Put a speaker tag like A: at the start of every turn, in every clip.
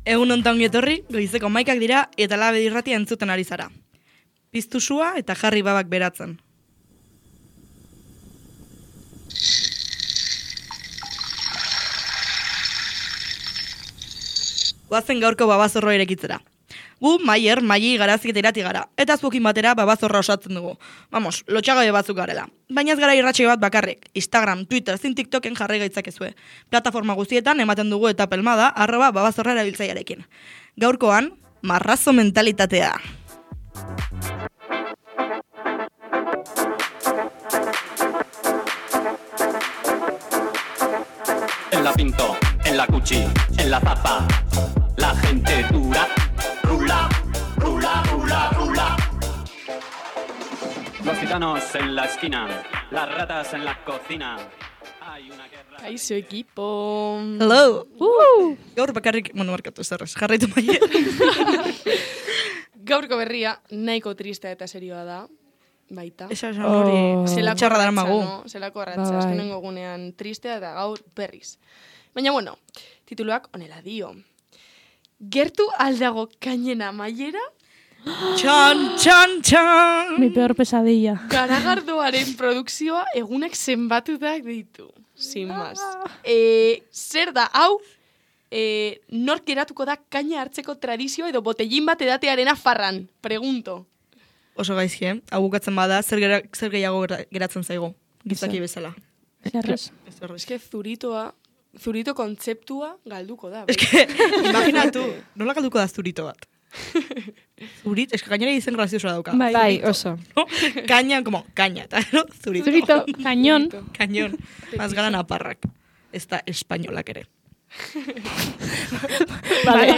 A: Egun onta ongi etorri, goizeko 11 dira eta Labe irratia entzuten ari zara. Piztu sua eta jarri babak beratzen. Goazen gaurko babazorro irekitzera. Gu, Maier, Maili, Garazik eta Irati gara, eta zuekin batera babazorra osatzen dugu. Vamos, lotxagabe batzuk garela. Baina ez gara irratsaio bat bakarrik. Instagram, Twitter, zin TikToken jarri gaitzakezue. Plataforma guztietan ematen dugu eta pelmada @babazorra erabiltzailearekin. Gaurkoan, marrazo mentalitatea.
B: En la Pinto, en la Cuchi, en la Zapa, la gente dura, rula, rula, rula, rula. Los gitanos en la esquina, las ratas en la cocina. Hay una guerra.
C: Kaixo equipo.
A: Hello! Gaur bakarrik, markatu zerrez, jarraitu Maier.
C: Gaurko berria nahiko tristea eta serioa da. Baita.
A: Esa hori txarra dara magu.
C: Zelako arratza, azkenengo gunean tristea eta gaur berriz. Baina bueno, tituluak honela dio. Gertu aldago kainena Maiera?
A: Txan, txan, txan!
D: Mi peor pesadilla.
C: Garagardoaren produkzioa egunak zenbatutak ditu. Sin más. Zer da, hau, nork geratuko da kaina hartzeko tradizioa edo botellin bat edatearena farran? Pregunto.
A: Oso gaizki, hau bukatzen bada, zer gehiago geratzen zaigu, gizaki bezala.
D: Zerrez.
C: Eske zurito kontzeptua galduko da.
A: Eske, imaginatu, nola galduko da zurito bat? Zurit, eske gainera izen graziosoa dauka.
D: Bai, oso.
A: No? Kaina, como, kaina, eta no, zurito.
D: Zurito, kañón.
A: Kañón, más gara naparrak. Ez da espainolak ere.
D: Vale.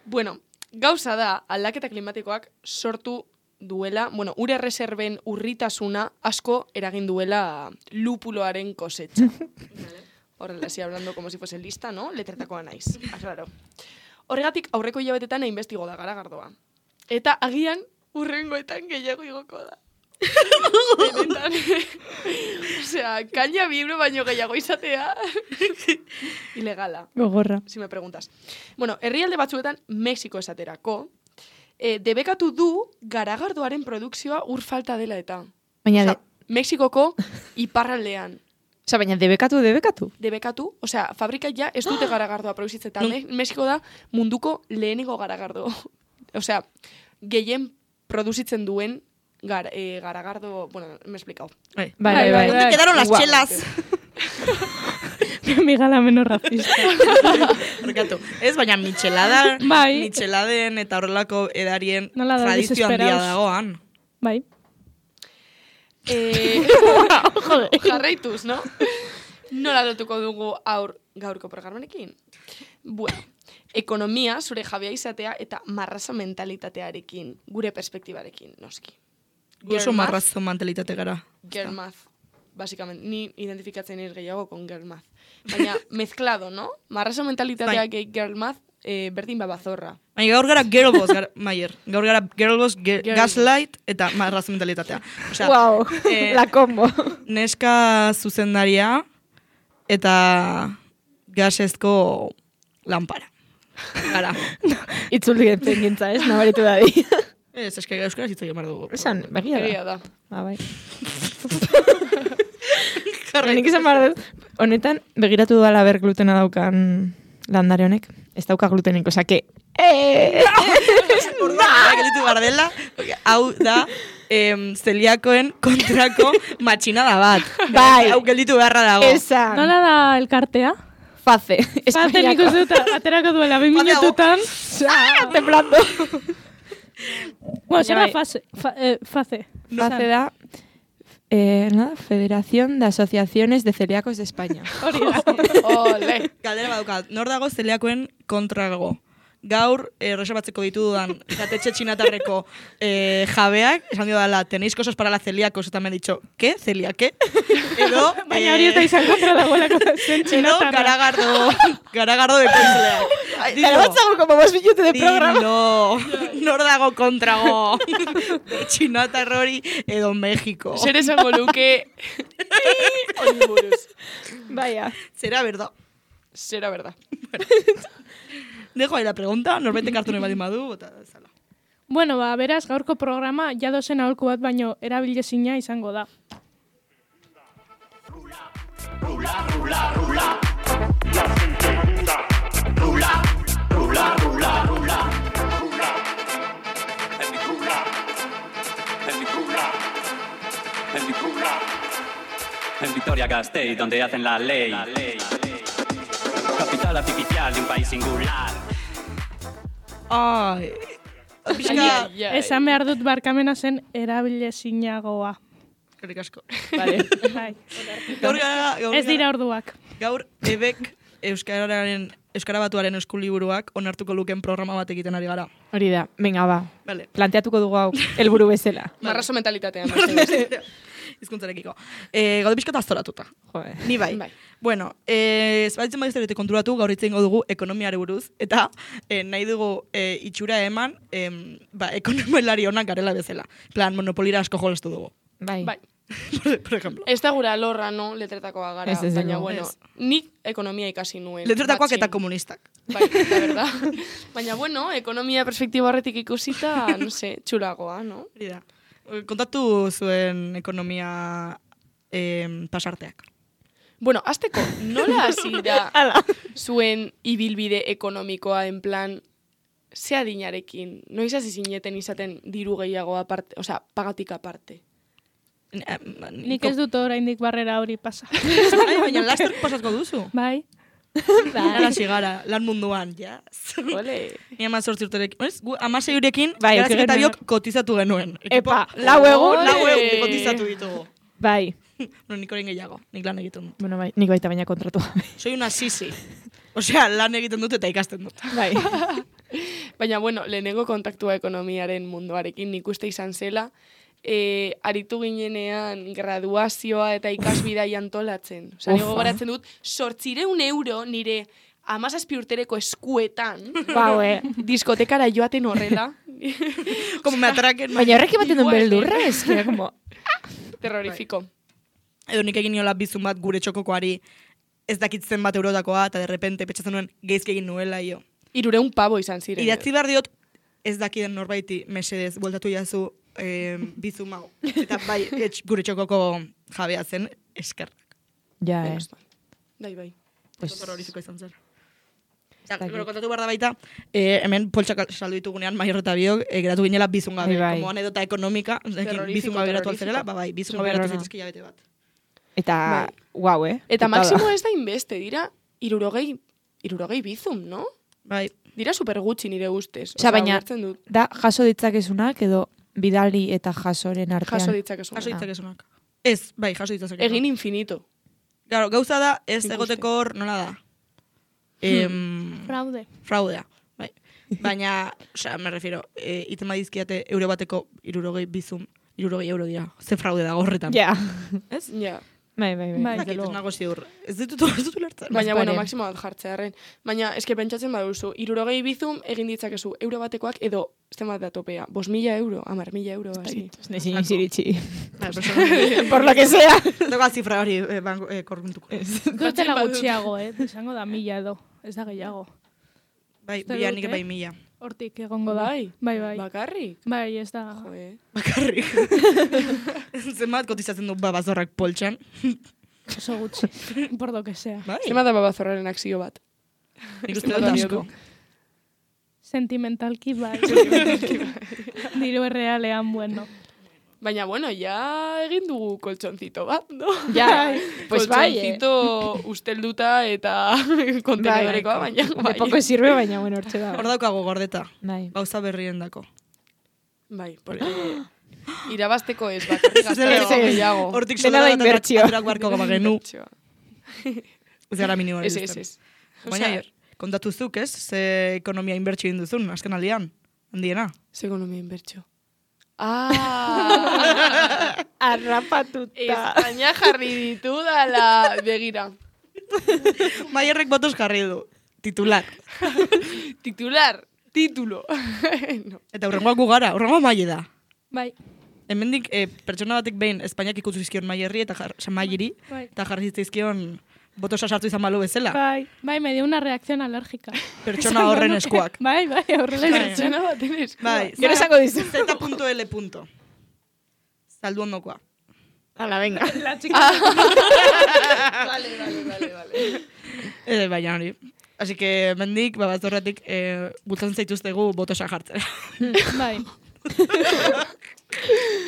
C: Bueno, gauza da, aldaketa klimatikoak sortu duela, bueno, ure reserben urritasuna asko eragin duela lupuloaren kosetxa. Horrela, si hablando como si fuese lista, ¿no? Letretakoa naiz, aclaro. Horregatik aurreko hilabetetan investigo da garagardoa. Eta agian urrengoetan gehiago igoko da. Benetan. Osea, kaina bibro baino gehiago izatea. Ilegala.
D: Gogorra.
C: Si me preguntas. Bueno, herrialde batzuetan Mexiko esaterako, debekatu du garagardoaren produkzioa ur falta dela eta.
E: Baina
C: Mexikoko iparraldean.
E: Osa, baina debekatu?
C: Debekatu, osea, fabrika ja ez dute garagardoa produzitzen, eta Mexiko da munduko lehenengo garagardo. Osea, gehien produzitzen duen garagardo, bueno, me he explicado.
E: Bai.
A: ¿Dónde quedaron las chelas?
D: Mi gala menos racista.
A: Rekatu, ez, baina michelada,
D: Bai.
A: micheladen eta horrelako edarien
D: Nola da,
A: tradizio handia
D: desesperaos.
A: dagoan.
D: Bai.
C: Jarraituz, no? Nola lotuko dugu gaurko programarekin? Bueno, ekonomia, zure jabea izatea eta marrazo mentalitatearekin, gure perspektibarekin, noski.
A: Oso marrazo mentalitate gara.
C: Girl math, básicamente. Ni identifikatzen nire gehiago con girl math. Baina, mezclado, no? Marrazo mentalitatea gehi girl math, berdin babazorra.
A: Baina gaur gara girlboss, Maier. Gaur gara girlboss, gaslight eta marrazo mentalitatea. Osea,
E: Wow, la combo.
A: Neska zuzendaria eta gasezko lanpara. Gara.
E: Itzuldi gentzen gintza, ez? Nabaritu dadi.
A: Ez, eske euskaraz hitz egin behar dugu.
E: Esan, begia
C: Egia
E: da.
C: da.
E: Bai. Nik esan behar dut, honetan, begiratu dudala ber glutena daukan landare honek. Ez dauka glutenik, osa que...
A: Gelitu behar dela, hau da zeliakoen kontrako matxinada bat.
E: Bai.
A: Hau gelditu beharra dago.
E: Esan.
D: Nola da elkartea?
E: Face.
D: Face nik uste dut, aterako duela 2 minututan.
E: Temblando.
D: Bueno, zer da
E: Bai.
D: face? Face.
E: Face da... nada, Federación de Asociaciones de Celíacos de España.
D: Hori da.
C: Ole.
A: Galdera badukat, nor dago zeliakoen kontrago? Gaur, reservatzeko ditudan jatetxe txinatarreko jabeak, esan dio dala, tenéis cosas para la celíacos, eta me han dicho, ¿qué? ¿Celia-qué? Edo,
D: Baina hori eta izan kontra dagoelako zen
A: edo
D: txinatarra.
A: garagardo de ekoizleak.
E: Pero vamos como más minutos de programa.
A: Dilo, nor dago kontrago? Txinatarrori edo México.
C: Zer esango luke... Hori buruz.
E: Vaya.
A: Zera, berda.
C: Zera berda.
A: Dejo ahí la pregunta, norbaitek hartu nahi baldin badu, eta zala.
D: Bueno, beraz, gaurko programa jadozen aholku bat baino erabilezina izango da.
B: Rula, rula, rula. La gente dura. Rula, rula, rula, rula. Rula. En mi rula. En mi rula. En mi rula. En Vitoria-Gasteiz, donde hacen la ley. Capital artificial de un país singular.
A: Ai, pixka,
D: Esan behar dut barkamena zen erabilezinagoa.
A: eskerrik asko.
E: Vale.
D: Bai.
A: Gaur
D: Ez dira orduak.
A: Gaur, ebek Euskara Batuaren eskuliburuak onartuko luken programa bat egiten ari gara.
E: Hori da, venga ba.
A: Vale.
E: Planteatuko dugu hau, helburu bezala.
C: Marrazo mentalitatean.
A: Hizkuntzarekiko. Gaude pixka aztoratuta.
E: Joder.
A: Ni bai.
C: Bai.
A: Bueno, zbaitzen badizte konturatu, gaur hitz egingo dugu ekonomiare buruz, eta nahi dugu itxura eman ekonomilari onak garela bezala. Plan, monopolira asko jolastu dugu.
E: Bai.
C: Bai.
A: Por ejemplo.
C: Ez da gura lorra, no, letretakoa gara.
E: Ez,
C: Baina,
E: no.
C: bueno, nik ekonomia ikasi nuen.
A: Letretakoak
C: batxin.
A: eta komunistak.
C: Bai, da verdad. Baina, bueno, ekonomia perspektiba horretik ikusita, no sé, txulagoa, no?
A: Hori da. Kontatu zuen ekonomia pasarteak.
C: Bueno, azteko, nola hasi da zuen ibilbide ekonomikoa, en plan, ze adinarekin, noiz hasi zineten izaten diru gehiago aparte, osea, pagatik aparte.
D: Nik ez dut oraindik barrera hori pasa.
A: Baina laster pasatko duzu.
D: Bai.
A: Gara sigara, lan munduan, yes.
C: Ole.
A: Ni 18 urterekin, gu 16 urekin,
E: Bai,
A: Garazki eta
E: genuen.
A: biok kotizatu genuen.
E: Epa, lau egun.
A: Lau egun kotizatu ditugu.
E: Bai.
A: No, nik orain gehiago, nik lan egiten dut.
E: Bueno, bai, nik baita baina kontratu.
A: Soy una sisi. Osea, lan egiten dut eta ikasten dut.
E: Bai.
C: Baina, bueno, lehenengo kontaktua ekonomiaren munduarekin nik uste izan zela, aritu ginenean graduazioa eta ikasbidai antolatzen. Osa, nigo goratzen dut, 800 euro nire 17 urtereko eskuetan, diskotekara joaten horrela.
A: Como me atraquen.
E: Baina horrek ematen duen
C: igual,
E: beldurra, ez que como...
C: Terrorífico.
A: Edo nik egin niola bizun bat gure txokokoari ez dakitzen bat eurotakoa, eta de repente petxatzen nuen geizki egin nuela, jo.
C: 300 pavo izan ziren.
A: Idatzi behar diot, ez dakiden norbaiti mesedez, bueltatu jazu bizun mau. Eta bai, gure txokoko jabea zen, eskerrak.
E: Ja,
C: Bai.
E: Pues...
A: Horroriziko izan zer.
E: dakit.
A: Gero kontatu behar da baita, hemen poltsak saldu ditugunean Maior eta biok, geratu ginela bizun gabe.
E: Bai.
A: Como anedota ekonomika, bizun gabe geratu alzerela, bai, bizun gabe geratu zaitezke jabete bat.
E: Eta, guau,
C: Eta
E: Putada.
C: maksimo ez da inbeste, dira 60 bizum, no?
A: Bai,
C: Dira super gutxi nire ustez.
E: Osea, baina,
C: ulertzen dut.
E: da jaso ditzakezunak edo bidali eta jasoren artean.
C: Jaso ditzakezu.
A: jaso ditzakezunak. Ez, bai, jaso ditzakezunak.
C: Egin infinito.
A: Claro, gauza da, ez
C: Nik
A: egoteko hor, nola da?
D: Fraude.
A: Fraudea, bai. Baina, osea, me refiero, iten badizkiate euro bateko 60 bizum, 60 euro dira. Ze fraude dago horretan.
E: Ja.
A: Ez?
C: Ja.
E: Bai.
D: Bai.
A: Ez dakit, ez nago ziur. Ez dut ulertzen.
C: Baina, bueno,
E: paren.
C: maksimo bat jartzearen. Baina, eske pentsatzen baduzu, 60 bizum egin ditzakezu euro batekoak edo, zenbat da topea, 5.000 euro, 10.000 euro, hasi.
E: Nezin iziritzi.
A: Bai, persona.
E: Por lo que sea.
A: Dago zifra hori korruntuko.
D: Dutela gutxiago, izango da 1000 edo. Ez da gehiago.
A: Bai,
D: Uste
A: bila
D: dut,
A: nik bai 1000.
D: Hortik egongo da.
C: Bai.
D: Bai.
C: Bakarrik.
D: Bai, ez da.
C: Joe.
A: Bakarrik. Zenbat kotizatzen du babazorrak poltsan.
D: Oso gutxi. Por lo que sea.
A: Bai,
C: Zenbat da babazorraren akzio bat.
A: nik uste dut asko.
D: Sentimentalki bai. Diru errealean, bueno.
C: Baina, bueno, ja egin dugu koltsoncito bat, no?
E: Ja, pues bai,
C: Koltsoncito ustelduta eta kontenedorekoa, baina
E: De
C: bai.
E: poco sirve, baina bueno, hortxe da.
A: Hor daukago gordeta.
E: Bai.
A: Gauza berrien dako.
C: Bai, porque irabazteko ez bakarrik gazteko gehiago.
A: Hortik
E: Dena da
A: soldata
E: inbertsio.
A: aturak barko gabagenu. Ez gara minimoa.
C: Ez.
A: Baina, kontatu zuk, ez? Ze ekonomia inbertsio egin duzun, azken aldian. Handiena.
C: Ze ekonomia inbertsio. Ah!
E: Arrapatuta.
C: Espainia jarri ditu dala begira.
A: Maierrek botos jarri du. Titular.
C: Titulo. No.
A: Eta hurrengoak gu gara, hurrengoa maile da.
D: Bai.
A: Hemendik pertsona batek behin Espainiak ikutu zizkion Maierri eta Maierri
D: Bai.
A: eta jarri zizkion botosa sartu izan balu bezala.
D: Bai, me dio una reacción alérgica.
A: Pertsona horren eskuak.
D: Bai, horrela
A: Bai.
C: Pertsona baten esku.
A: Bai,
E: Gero esango dizu.
A: Z.L. Saldu ondokoa.
E: Hala, venga.
D: La chica.
C: Vale.
A: Baina hori. Así que, mendik, babazorratik, bultzen zaituztegu botosa jartzera.
D: Bai.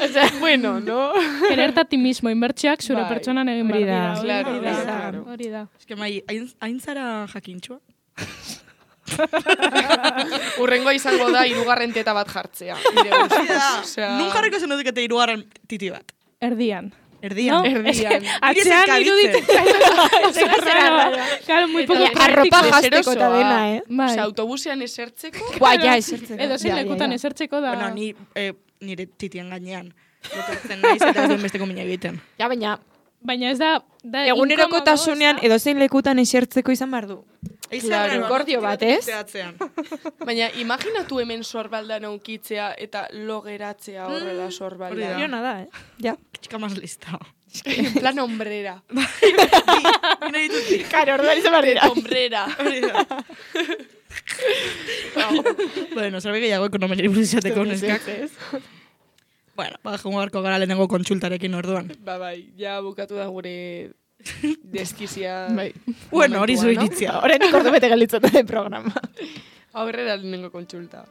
C: O sea, bueno, ¿no?
D: Quererte a ti mismo, inbertsioak zure
C: Bai.
D: pertsonan egin
E: Hori
D: behar
E: da.
D: dira.
C: Claro,
D: Hori da.
C: claro.
D: Hori da.
A: Es que, mai, hain zara jakintxoa?
C: Urrengoa izango da hirugarren teta bat jartzea. Nire ustez. Osea,
A: Nun jarriko zen dut hirugarren titi bat.
D: Erdian.
A: Erdian.
D: No?
C: Erdian.
D: Atzean iruditzen. Claro, muy poco
E: Arropa
D: práctico.
E: jazteko eta dena,
D: Bai.
C: Osea, autobusean esertzeko.
E: Buah, ja, esertzen.
D: Edo zein lekutan esertzeko da.
A: Bueno, nire titien gainean. Lotzen naiz eta ez duen besteko mina egiten.
E: Ja, baina,
D: Baina ez da
E: egunerokotasunean
D: inkomodo,
E: edo zein lekutan esertzeko izan behar du.
C: Claro,
E: akordio bat, ez?
C: Baina imaginatu hemen sorbaldan aukitzea eta lo geratzea horrela
A: Hori
C: sorbaldan.
A: da.
E: Jona da, Ja.
A: Chica más lista.
C: En plan hombrera.
A: Bina ditut.
E: Karo, orduan izan behar dira.
C: Hombrera.
A: Hori da. Bueno, zerbait gehiago ekonomiari buruz izateko neskak. Bueno, jongo garko gara lehenengo kontsultarekin orduan.
C: Bai, ja bukatu da gure deskizia.
E: Bai.
A: Bueno, hori
C: momentua,
A: zu
C: no?
A: iritzia.
E: Horrenik ordu bete gelditzatu den programa.
C: Aurrera lehenengo kontsulta.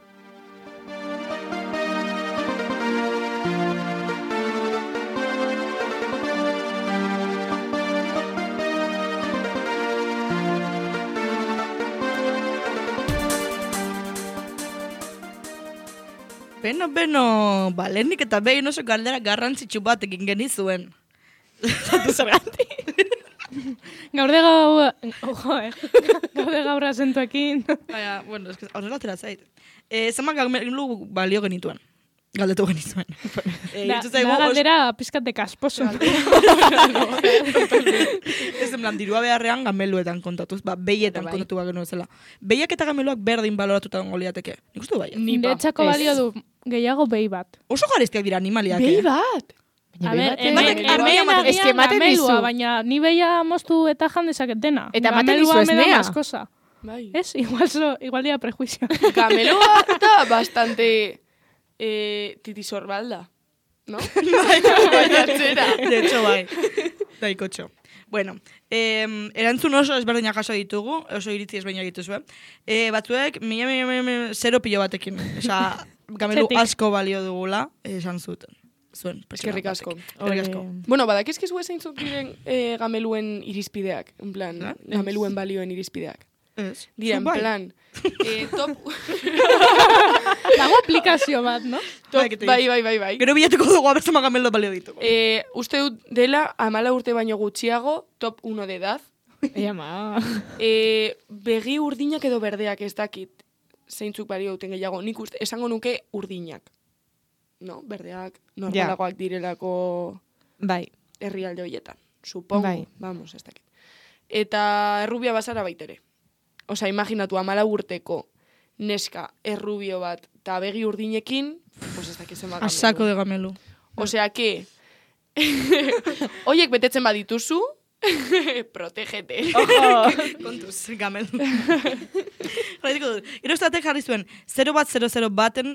A: Beno, lehenik eta behin oso galdera garrantzitsu bat egin genizuen.
D: Gaude gaur azentuekin.
A: Baina, bueno, es que horrela atera zait. Zenbat gamelu balio genituen. Galdetu genizuen.
D: Da galdera pizkat de kasposo.
A: Ez en plan, dirua beharrean gameluetan kontatuz, behietan kontatu bat genuen zela. Behiak eta gameluak berdin baloratuta gongo liateke. Nik uste bai.
D: Niretzako balio du gehiago behi bat.
A: Oso garestiak dira animaliak.
C: Behi bat!
D: A ber,
A: batek
D: hemen
A: argia
E: eske ematen
D: gamelua,
E: dizu.
D: baina ni behia moztu eta jan dezaket dena.
E: Eta ematen
D: Gamelua
E: dizu
D: me da
E: esnea.
D: más cosa.
C: Bai.
D: Ez? Igual dira prejuizio.
C: Gameloa da bastante titisorbalda, ¿no?
A: De hecho, bai. Daikotxo. Bueno, erantzun oso ezberdinak jaso ditugu, oso iritzi ezberdinak dituzue. Batzuek, zero pilo batekin. Osa, gamelu
D: Zetik.
A: asko balio dugula, esan zuten. Zuen.
C: Eskerrik asko.
A: Eskerrik asko.
C: Bueno, badakizkizu zeintzuk diren gameluen irizpideak, en plan, gameluen balioen irizpideak.
A: Ez.
C: Dira, en
A: Zuk bai.
C: plan, top...
D: Dago aplikazio bat, no?
C: Bai.
A: Gero bilatuko dugu abertzama gamelo balio ditugu.
C: Uste dut dela 14 urte baino gutxiago, top 1 de edad.
E: Ema.
C: Begi urdinak edo berdeak ez dakit zeintzuk balio duten gehiago. Nik uste, esango nuke urdinak. No, berdeak normalagoak direlako
E: Bai.
C: herrialde horietan. Supongo.
E: Bai.
C: Vamos, ez dakit. Eta errubia bazara baitere. Osea, imaginatu 14 urteko neska errubio bat eta begi urdinekin, pues ez dakit zenbat gamelu.
A: Asako de gamelu.
C: Osea, que oiek betetzen badituzu, protégete.
A: Kontuz, gamelu. Jarraituko dut. Gero estatek jarri zuen, 0 baten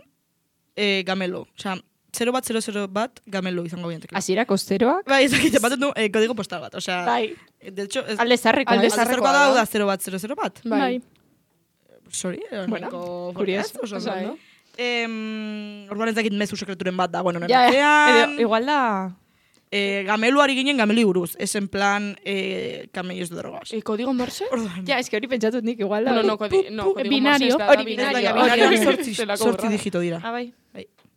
A: gamelu. Osea, 0 bat gamelu izango bientek.
E: Hasierako zeroak?
A: Bai, ezakit, baten du kodigo postal bat. Osea,
E: Bai.
A: de hecho,
E: Alde zarreko.
C: Alde
A: zarrekoa da, da 0 bat.
D: Bai.
A: Sorry,
E: Bueno, curioso.
A: Oso
C: Bai.
A: ondo. Orduan ez dakit mezu sekreturen bat dagoen honen
E: Ja,
A: artean.
E: edo, igual da...
A: Gameluari ginen gamelu buruz. Ez en plan camellos de drogas.
C: Kodigo morse?
A: Orduan.
E: Ja, eski hori pentsatut nik igual da.
C: No, kodigo
D: binario.
C: morse ez da,
E: Hori
C: binario.
E: binario.
A: Hori
E: Hori
A: sortzi digito dira.
E: Ah, bai.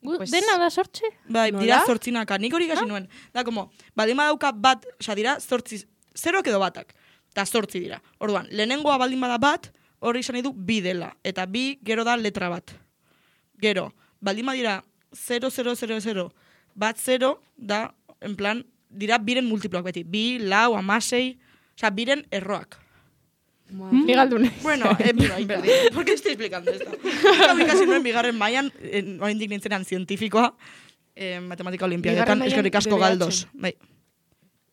E: Pues-
D: Dena da sortxe?
A: Bai,
C: Nola?
A: dira zortzinaka. Nik hori gasi nuen. Da, como, baldin badauka bat, oza, dira zortzi, zeroak edo batak. Eta zortzi dira. Orduan, lehenengoa baldin bada bat, hori izan nahi du bi dela. Eta bi, gero da letra bat. Gero, baldin badira 0, bat 0, da, en plan, dira biren multiploak beti. Bi, lau, amasei, oza, biren erroak.
E: Ni galdune.
A: Bueno, ¿por qué estoy explicando esto? Casi nuen bigarren mailan, oraindik nintzenan zientifikoa, matematika olimpiadetan,
C: Bigarren mailan
A: eskerrik asko
C: DBH.
A: galdos. Bai.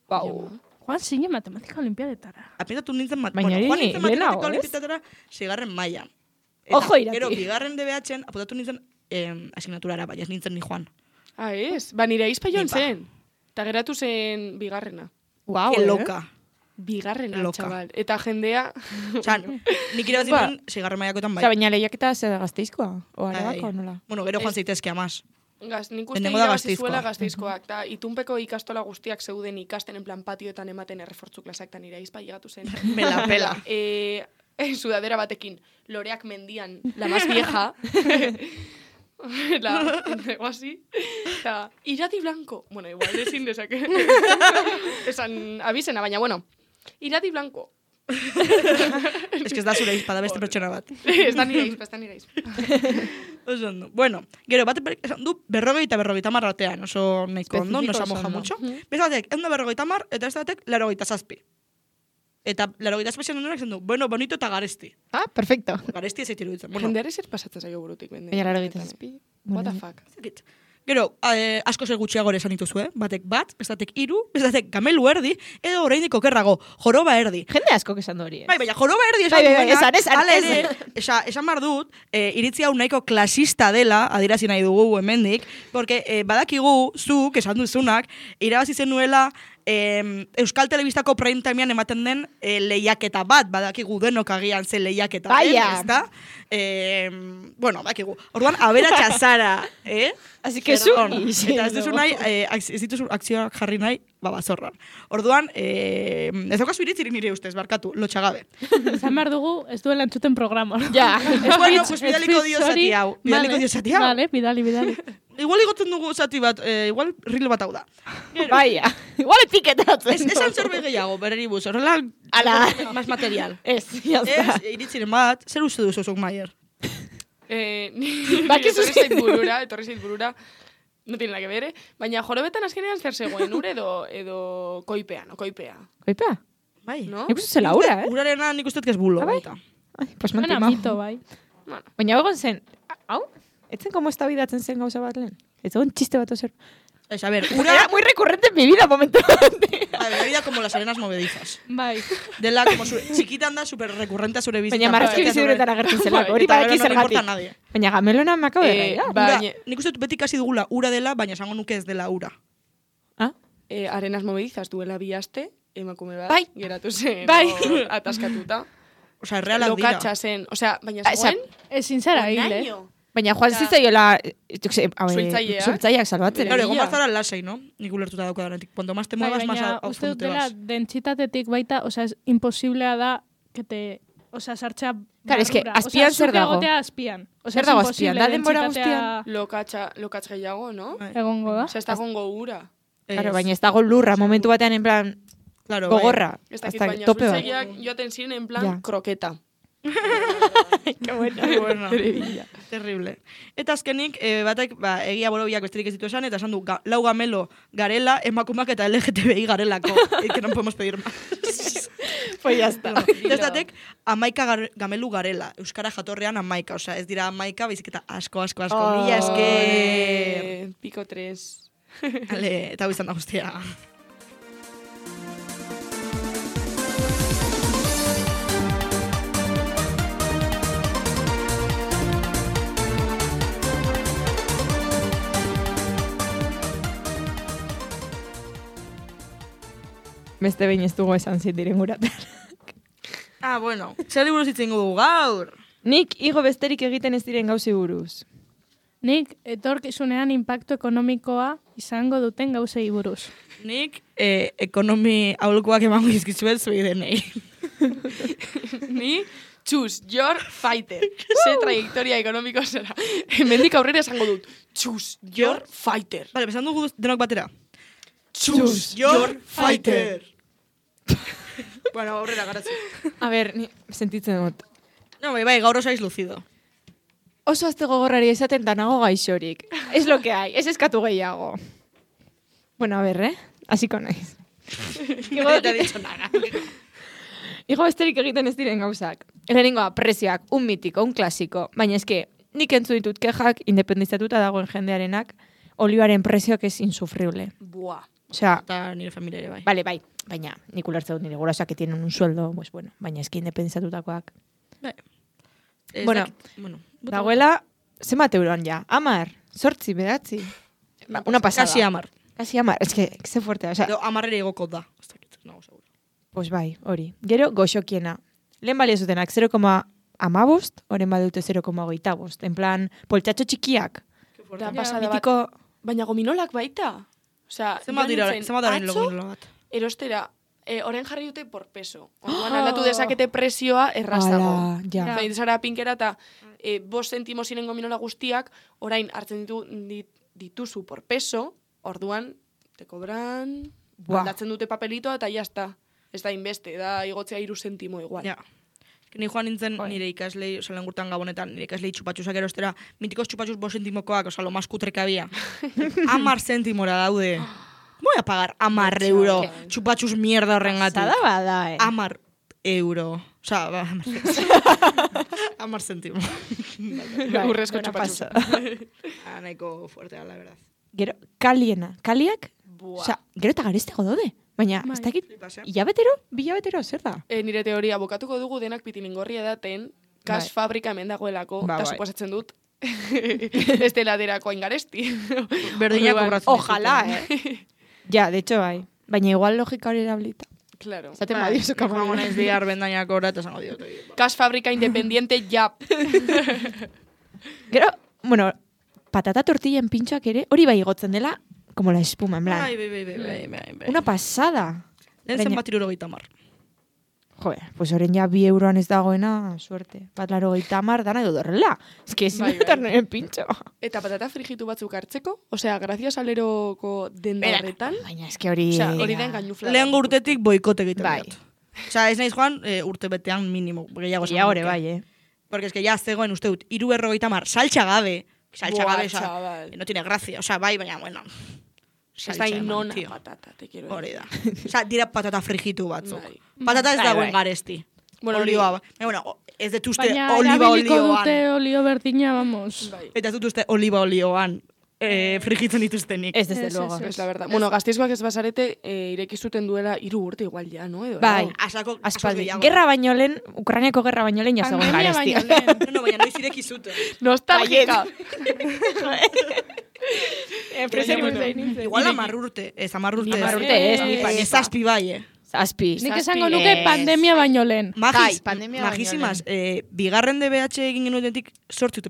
E: Bau.
D: Joan zine matematika olimpiadetara.
A: Apuntatu nintzen,
E: Baina hori
A: joan nintzen
E: lehenago,
A: matematika
E: ez?
A: olimpiadetara 6. mailan.
E: Ojo, Irati.
A: Gero, 2. DBH-en apuntatu nintzen asignaturara, baina ez nintzen ni joan.
C: Ah, ez? Ba, nire aizpa joan
A: Nipa.
C: zen. Ta geratu zen bigarrena.
E: Guau,
A: Que loca.
C: Bigarrena,
A: Loka.
C: txabal. Eta jendea...
A: Osa, nik irabazi
E: Ba.
A: nuen 6. mailakoetan bai.
E: Osea, baina lehiaketa zer Gasteizkoa? O Arabako, nola?
A: Bueno, gero joan zaitezke amaz.
C: Nik uste
A: Lehenengo da
C: irabazi
A: Gasteizkoa.
C: zuela Gasteizkoak. Ta itunpeko ikastola guztiak zeuden ikasten en plan patioetan ematen errefortzu klasak ta nire aizpa llegatu zen.
A: Me la pela.
C: Sudadera batekin, loreak mendian, la más vieja. Algo así. Eta, Irati Blanco. Bueno, igual, ezin dezake. Esan, abizena, baina, bueno. Irati Blanco.
A: Ez que ez da zure izpa, da beste pertsona bat.
C: Ez da nire aizpa,
A: Oso ondo. Bueno, gero, bat esan du 40 eta 50 artean, oso nahiko ondo, no se
E: Espezifiko
A: moja
E: oso
A: mucho. Beste batek, 150 eta ez batek 87. Eta 87 ondorak esan du, bueno, bonito eta garesti.
E: Ah, perfecto.
A: Garesti ez eitir dutzen. Bueno,
C: Jendeare zer pasatzen zaio burutik, bende.
E: Baina laro egiten zazpi.
C: What the fuck?
A: ez dakit. Gero, asko zer gutxiago ere esan dituzue, batek bat, bestatek 3, bestatek gamelu erdi, edo oraindik okerrago, joroba erdi.
E: Jende asko esan du hori.
A: Bai, baina joroba erdi esan
E: Bai, bai,
A: duenak,
E: bai, esan,
A: hala ere, esan bar dut, iritzi hau nahiko klasista dela, adierazi nahi dugu hemendik, porque badakigu, zuk, esan duzunak, irabazi zenuela, Euskal Telebistako prime timean ematen den lehiaketa bat, badakigu denok agian ze lehiaketa den,
E: Baia.
A: ezta? Bueno, badakigu. Orduan, aberatsa zara,
E: Así que zu,
A: Eta ez duzu nahi, ez dituzu akzioak jarri nahi, babazorran. Orduan, ez daukazu iritzirik nire ustez, barkatu, lotxagabe.
D: Esan behar dugu, ez duela entzuten programa.
E: Ja.
A: Bueno, pues bidaliko dio zati hau. Bidaliko dio zati hau.
D: Vale, bidali.
A: Igual igotzen dugu zati bat, igual reel bat hau da.
E: Baia. Igual etiketatzen.
A: Esan zerbait gehiago, bereri buz, horrela,
E: Ala.
A: más material.
E: Ez, jazta.
A: Ez, iritziren bat, zer uste duzu zuk, Maier?
E: Bakizu
C: etorri zait burura, no tiene nada que ver, baina jorobetan azkenean zer zegoen, ur edo koipea, no koipea,
E: Koipea?
A: Bai.
C: no?
E: Nik uste zela ura,
A: Urarena nik uste que es bulo.
E: bai?
A: baita.
E: Ai, pues
D: Bueno,
E: mantima.
D: mito, bai.
C: Bueno,
E: Baina egon zen, hau? Etzen como estabidatzen zen gauza bat lehen? Ez egon txiste bat ozer.
A: Ez, a ver,
E: Era
A: ura,
E: muy recurrente en mi vida, momento.
A: a ver, vida como las arenas movedizas.
D: Bai.
A: Dela, como txikitan da, super recurrente zure bizitza.
E: Baina marrazki biziduretan agertzen zelako, hori
A: Eta
E: badaki
A: gero no le importa a
E: zergatik.
A: nadie.
E: Baina gamelona me acabo de reír.
C: ba-
A: Ura,
C: Baina-
A: nik uste dut beti kasi dugula ura dela, baina esango nuke ez dela ura.
E: Ah?
C: arenas movedizas duela bi aste, emakume bat,
E: Bai.
C: geratu zen,
E: Bai.
C: hor ataskatuta.
A: Osea, realak dira.
C: Lokatxa zen, osea, baina
E: Ah,
C: zegoen,
D: Ezin zara hil,
C: onaino.
E: Baina Juan zitzaioela,
C: Suhiltzaileak.
E: suhiltzaileak salbatzen.
A: Claro, egon
C: Ia.
A: bazara lasai, no? Nik ulertuta dauka danetik. Cuanto más te
D: Bai,
A: muevas, más
D: baina
A: a
D: uste
A: fondo
D: dut
A: te
D: dela
A: vas.
D: dentsitatetik baita, osea, es imposiblea da, que te... Osea, sartzea
E: Claro, es que
D: barrura.
E: azpian zer dago?
D: Osea, azpian. Osea,
E: Zer dago azpian? Da denbora
D: dentsitatea
C: Lokatx gehiago, no?
A: Bai.
D: egongo da.
C: Osea, ez da gongo ura.
E: Claro, baina ez dago lurra, momentu batean en plan
A: Claro,
E: gogorra.
C: Ez dakit,
E: Hasta
C: baina
E: tope bat.
C: suhiltzaileak joaten ziren en plan
E: Ja.
C: kroketa.
E: Qué bueno.
A: Bai. Bueno, terrible. Eta azkenik, batek, egia bolobiak besterik ez ditu esan, eta esan du, lau gamelo garela, emakumak eta LGTBI garelako. Que no podemos pedir más.
E: Pues ya está.
A: Testatek, 11 gamelu garela. Euskara jatorrean 11. Osea, ez dira 11, baizik eta asko.
E: Oh.
A: Mila esker.
C: Pico 3.
A: Ale, eta hau izan da guztia.
E: Beste behin ez dugu esan zitiren guraten.
A: Ah, bueno. Zer buruz itzen dugu gaur?
E: Nik igo besterik egiten ez diren gauzi buruz.
D: Nik etorkizunean inpaktu ekonomikoa izango duten gauzei buruz.
A: Nik ekonomi aholkuak emango izkizuet zuei denei.
C: Ni, choose your fighter. Ze trayectoria ekonomiko zera. Hemendik aurrera esango dut. Choose your fighter.
A: Vale, besan dugu denok batera.
C: Choose your fighter.
A: Bueno, aurrera garatzi.
E: A ber, ni sentitzen dut.
A: No, bai, gaur osaiz lucido.
E: Oso azte gogorrari esaten da nago gaixorik. Es lo que hay, ez eskatu gehiago. Bueno, a ber, Hasiko naiz.
A: No te he dicho nada.
E: Igo besterik egiten ez diren gauzak. Lehenengoa, prezioak, un mitiko, un klasiko. Baina eske, nik entzu ditut kejak, independizatuta dagoen jendearenak, olioaren prezioak ez insufrible.
C: Buah.
E: Osea,
A: Eta nire familia ere bai.
E: Bale, bai. Baina, nik ulertzen dut nire gurasoak que tienen un sueldo, pues bueno, baina eski independizatutakoak.
A: Ez
E: Bueno,
A: dakit, bueno.
E: Dagoela, zenbat euroan ja? 10, 8, 9? Una pasada.
A: Kasi 10.
E: Kasi 10, es que ze fuertea, o sea,
A: Edo 10 igoko da. Ez dakit, nago seguro.
E: pues bai, hori. Gero, goxokiena. Lehen balio zutenak 0,15, oren badute 0,25. En plan, poltsatxo txikiak.
C: Da, pasada bat.
E: Mitiko,
C: Baina gominolak baita. Osea,
A: Zenbat dira
C: atzo,
A: login bat.
C: erostera, oren jarri dute por peso. Orduan aldatu dezakete prezioa errazago.
E: ala, ja.
C: Zain zara pinkera eta 5 zentimo ziren gominola guztiak, orain hartzen dituzu por peso, orduan, te cobran,
E: Buah.
C: aldatzen dute papelitoa eta jazta. Ez da inbeste, da igotzea 3 zentimo igual.
A: Ja. Ni joan nintzen nire ikaslei, oza, lengurtan gabonetan, nire ikaslei txupatxusak erostera, mitikos txupatxus 5 zentimokoak, oza, lo más kutre que había. 10 zentimora daude. Voy a pagar 10 euro. Txupatxus mierda horrengatik.
E: Zada bada,
A: 10 euro. Osa, 10 zentimo.
C: Urrezko
E: buena
C: txupatxusa.
A: Nahiko fuertea, la verdad.
E: Gero, kaliena. Kaliak,
C: Buah.
E: osea, gero eta garestego daude. Baina, ez dakit,
A: Flipas, eh?
E: bilabetero, zer da?
C: Nire teoria, bokatuko dugu denak pitilingorria daten, kas
E: Bai.
C: fabrika hemen dagoelako,
E: Ba,
C: eta
E: bai.
C: suposatzen dut, ez dela derako aingaresti.
A: Berdinak
C: Orduan,
A: kobratzen
E: Ojalá, Ja, de hecho, bai. Baina igual logika hori erabilita.
C: Claro.
E: Zaten
A: Bai,
E: badiozu
A: joango naiz bihar bendainak ora eta esango diot.
C: Kas fabrika independiente, ja.
E: Gero, bueno, patata tortillen pintxoak ere, hori bai igotzen dela, como la espuma, en plan.
A: Bai.
E: Una pasada.
A: Lehen zenbat 70.
E: Joder, pues oren ja 2 euroan ez dagoena, suerte. Bat 80 dana edo horrela. Ez que ezin
C: Bai, bai.
E: dutar nire pintxo.
C: Eta patata frijitu batzuk hartzeko, osea, gracias aleroko denda horretan,
E: Baina ez que hori...
C: osea, hori da engainufla.
A: Lehen urtetik boikote egiten
E: Bai.
A: diot. Osa, ez naiz joan, urte betean minimo, gehiago esango
E: Ja, hori
A: nuke.
E: bai,
A: Porque es que ya zegoen uste dut, 3,50, saltxa gabe. Saltxa
C: Buah,
A: gabe, osa,
C: chaval.
A: no tiene gracia. Osa, bai, baina, bueno.
C: Ez
A: saltxa
C: da
A: eman,
C: inona
A: tío.
C: patata, te quiero
A: Hori da. Osa, dira patata frijitu batzuk.
C: Bai.
A: Patata ez
E: Bai,
A: dagoen
E: bai.
A: garesti.
C: Bueno,
A: Olioa, bueno, ez dut uste
D: Baina
A: oliba
D: erabiliko
A: olioan.
D: dute olio berdina, vamos.
C: Bai.
A: Eta ez dut uste oliba olioan frijitzen dituztenik.
E: Ez desde
D: Ez,
E: luego.
D: ez,
C: Es la verdad. Bueno, Gasteizkoak ez basarete, ireki zuten duela 3 urte igual ja, no? Edo,
E: Bai.
A: Asako,
E: Aspaldi.
A: gehiago.
E: Gerra baino lehen, Ukrainiako gerra baino lehen jazegoen
D: Pandemia
E: garestia.
D: baino lehen.
A: No, baina noiz ireki zuten.
C: Nostalgika.
A: Igual 10 urte, ez 10 urte.
E: 10 urte, ez, ni pa, ni pa.
A: Zazpi bai,
E: Zazpi.
D: Nik esango nuke
E: Ez.
D: pandemia baino lehen.
E: Bai, pandemia baino
A: Magisimas, bigarren DBH egin genuenetik 8 urte.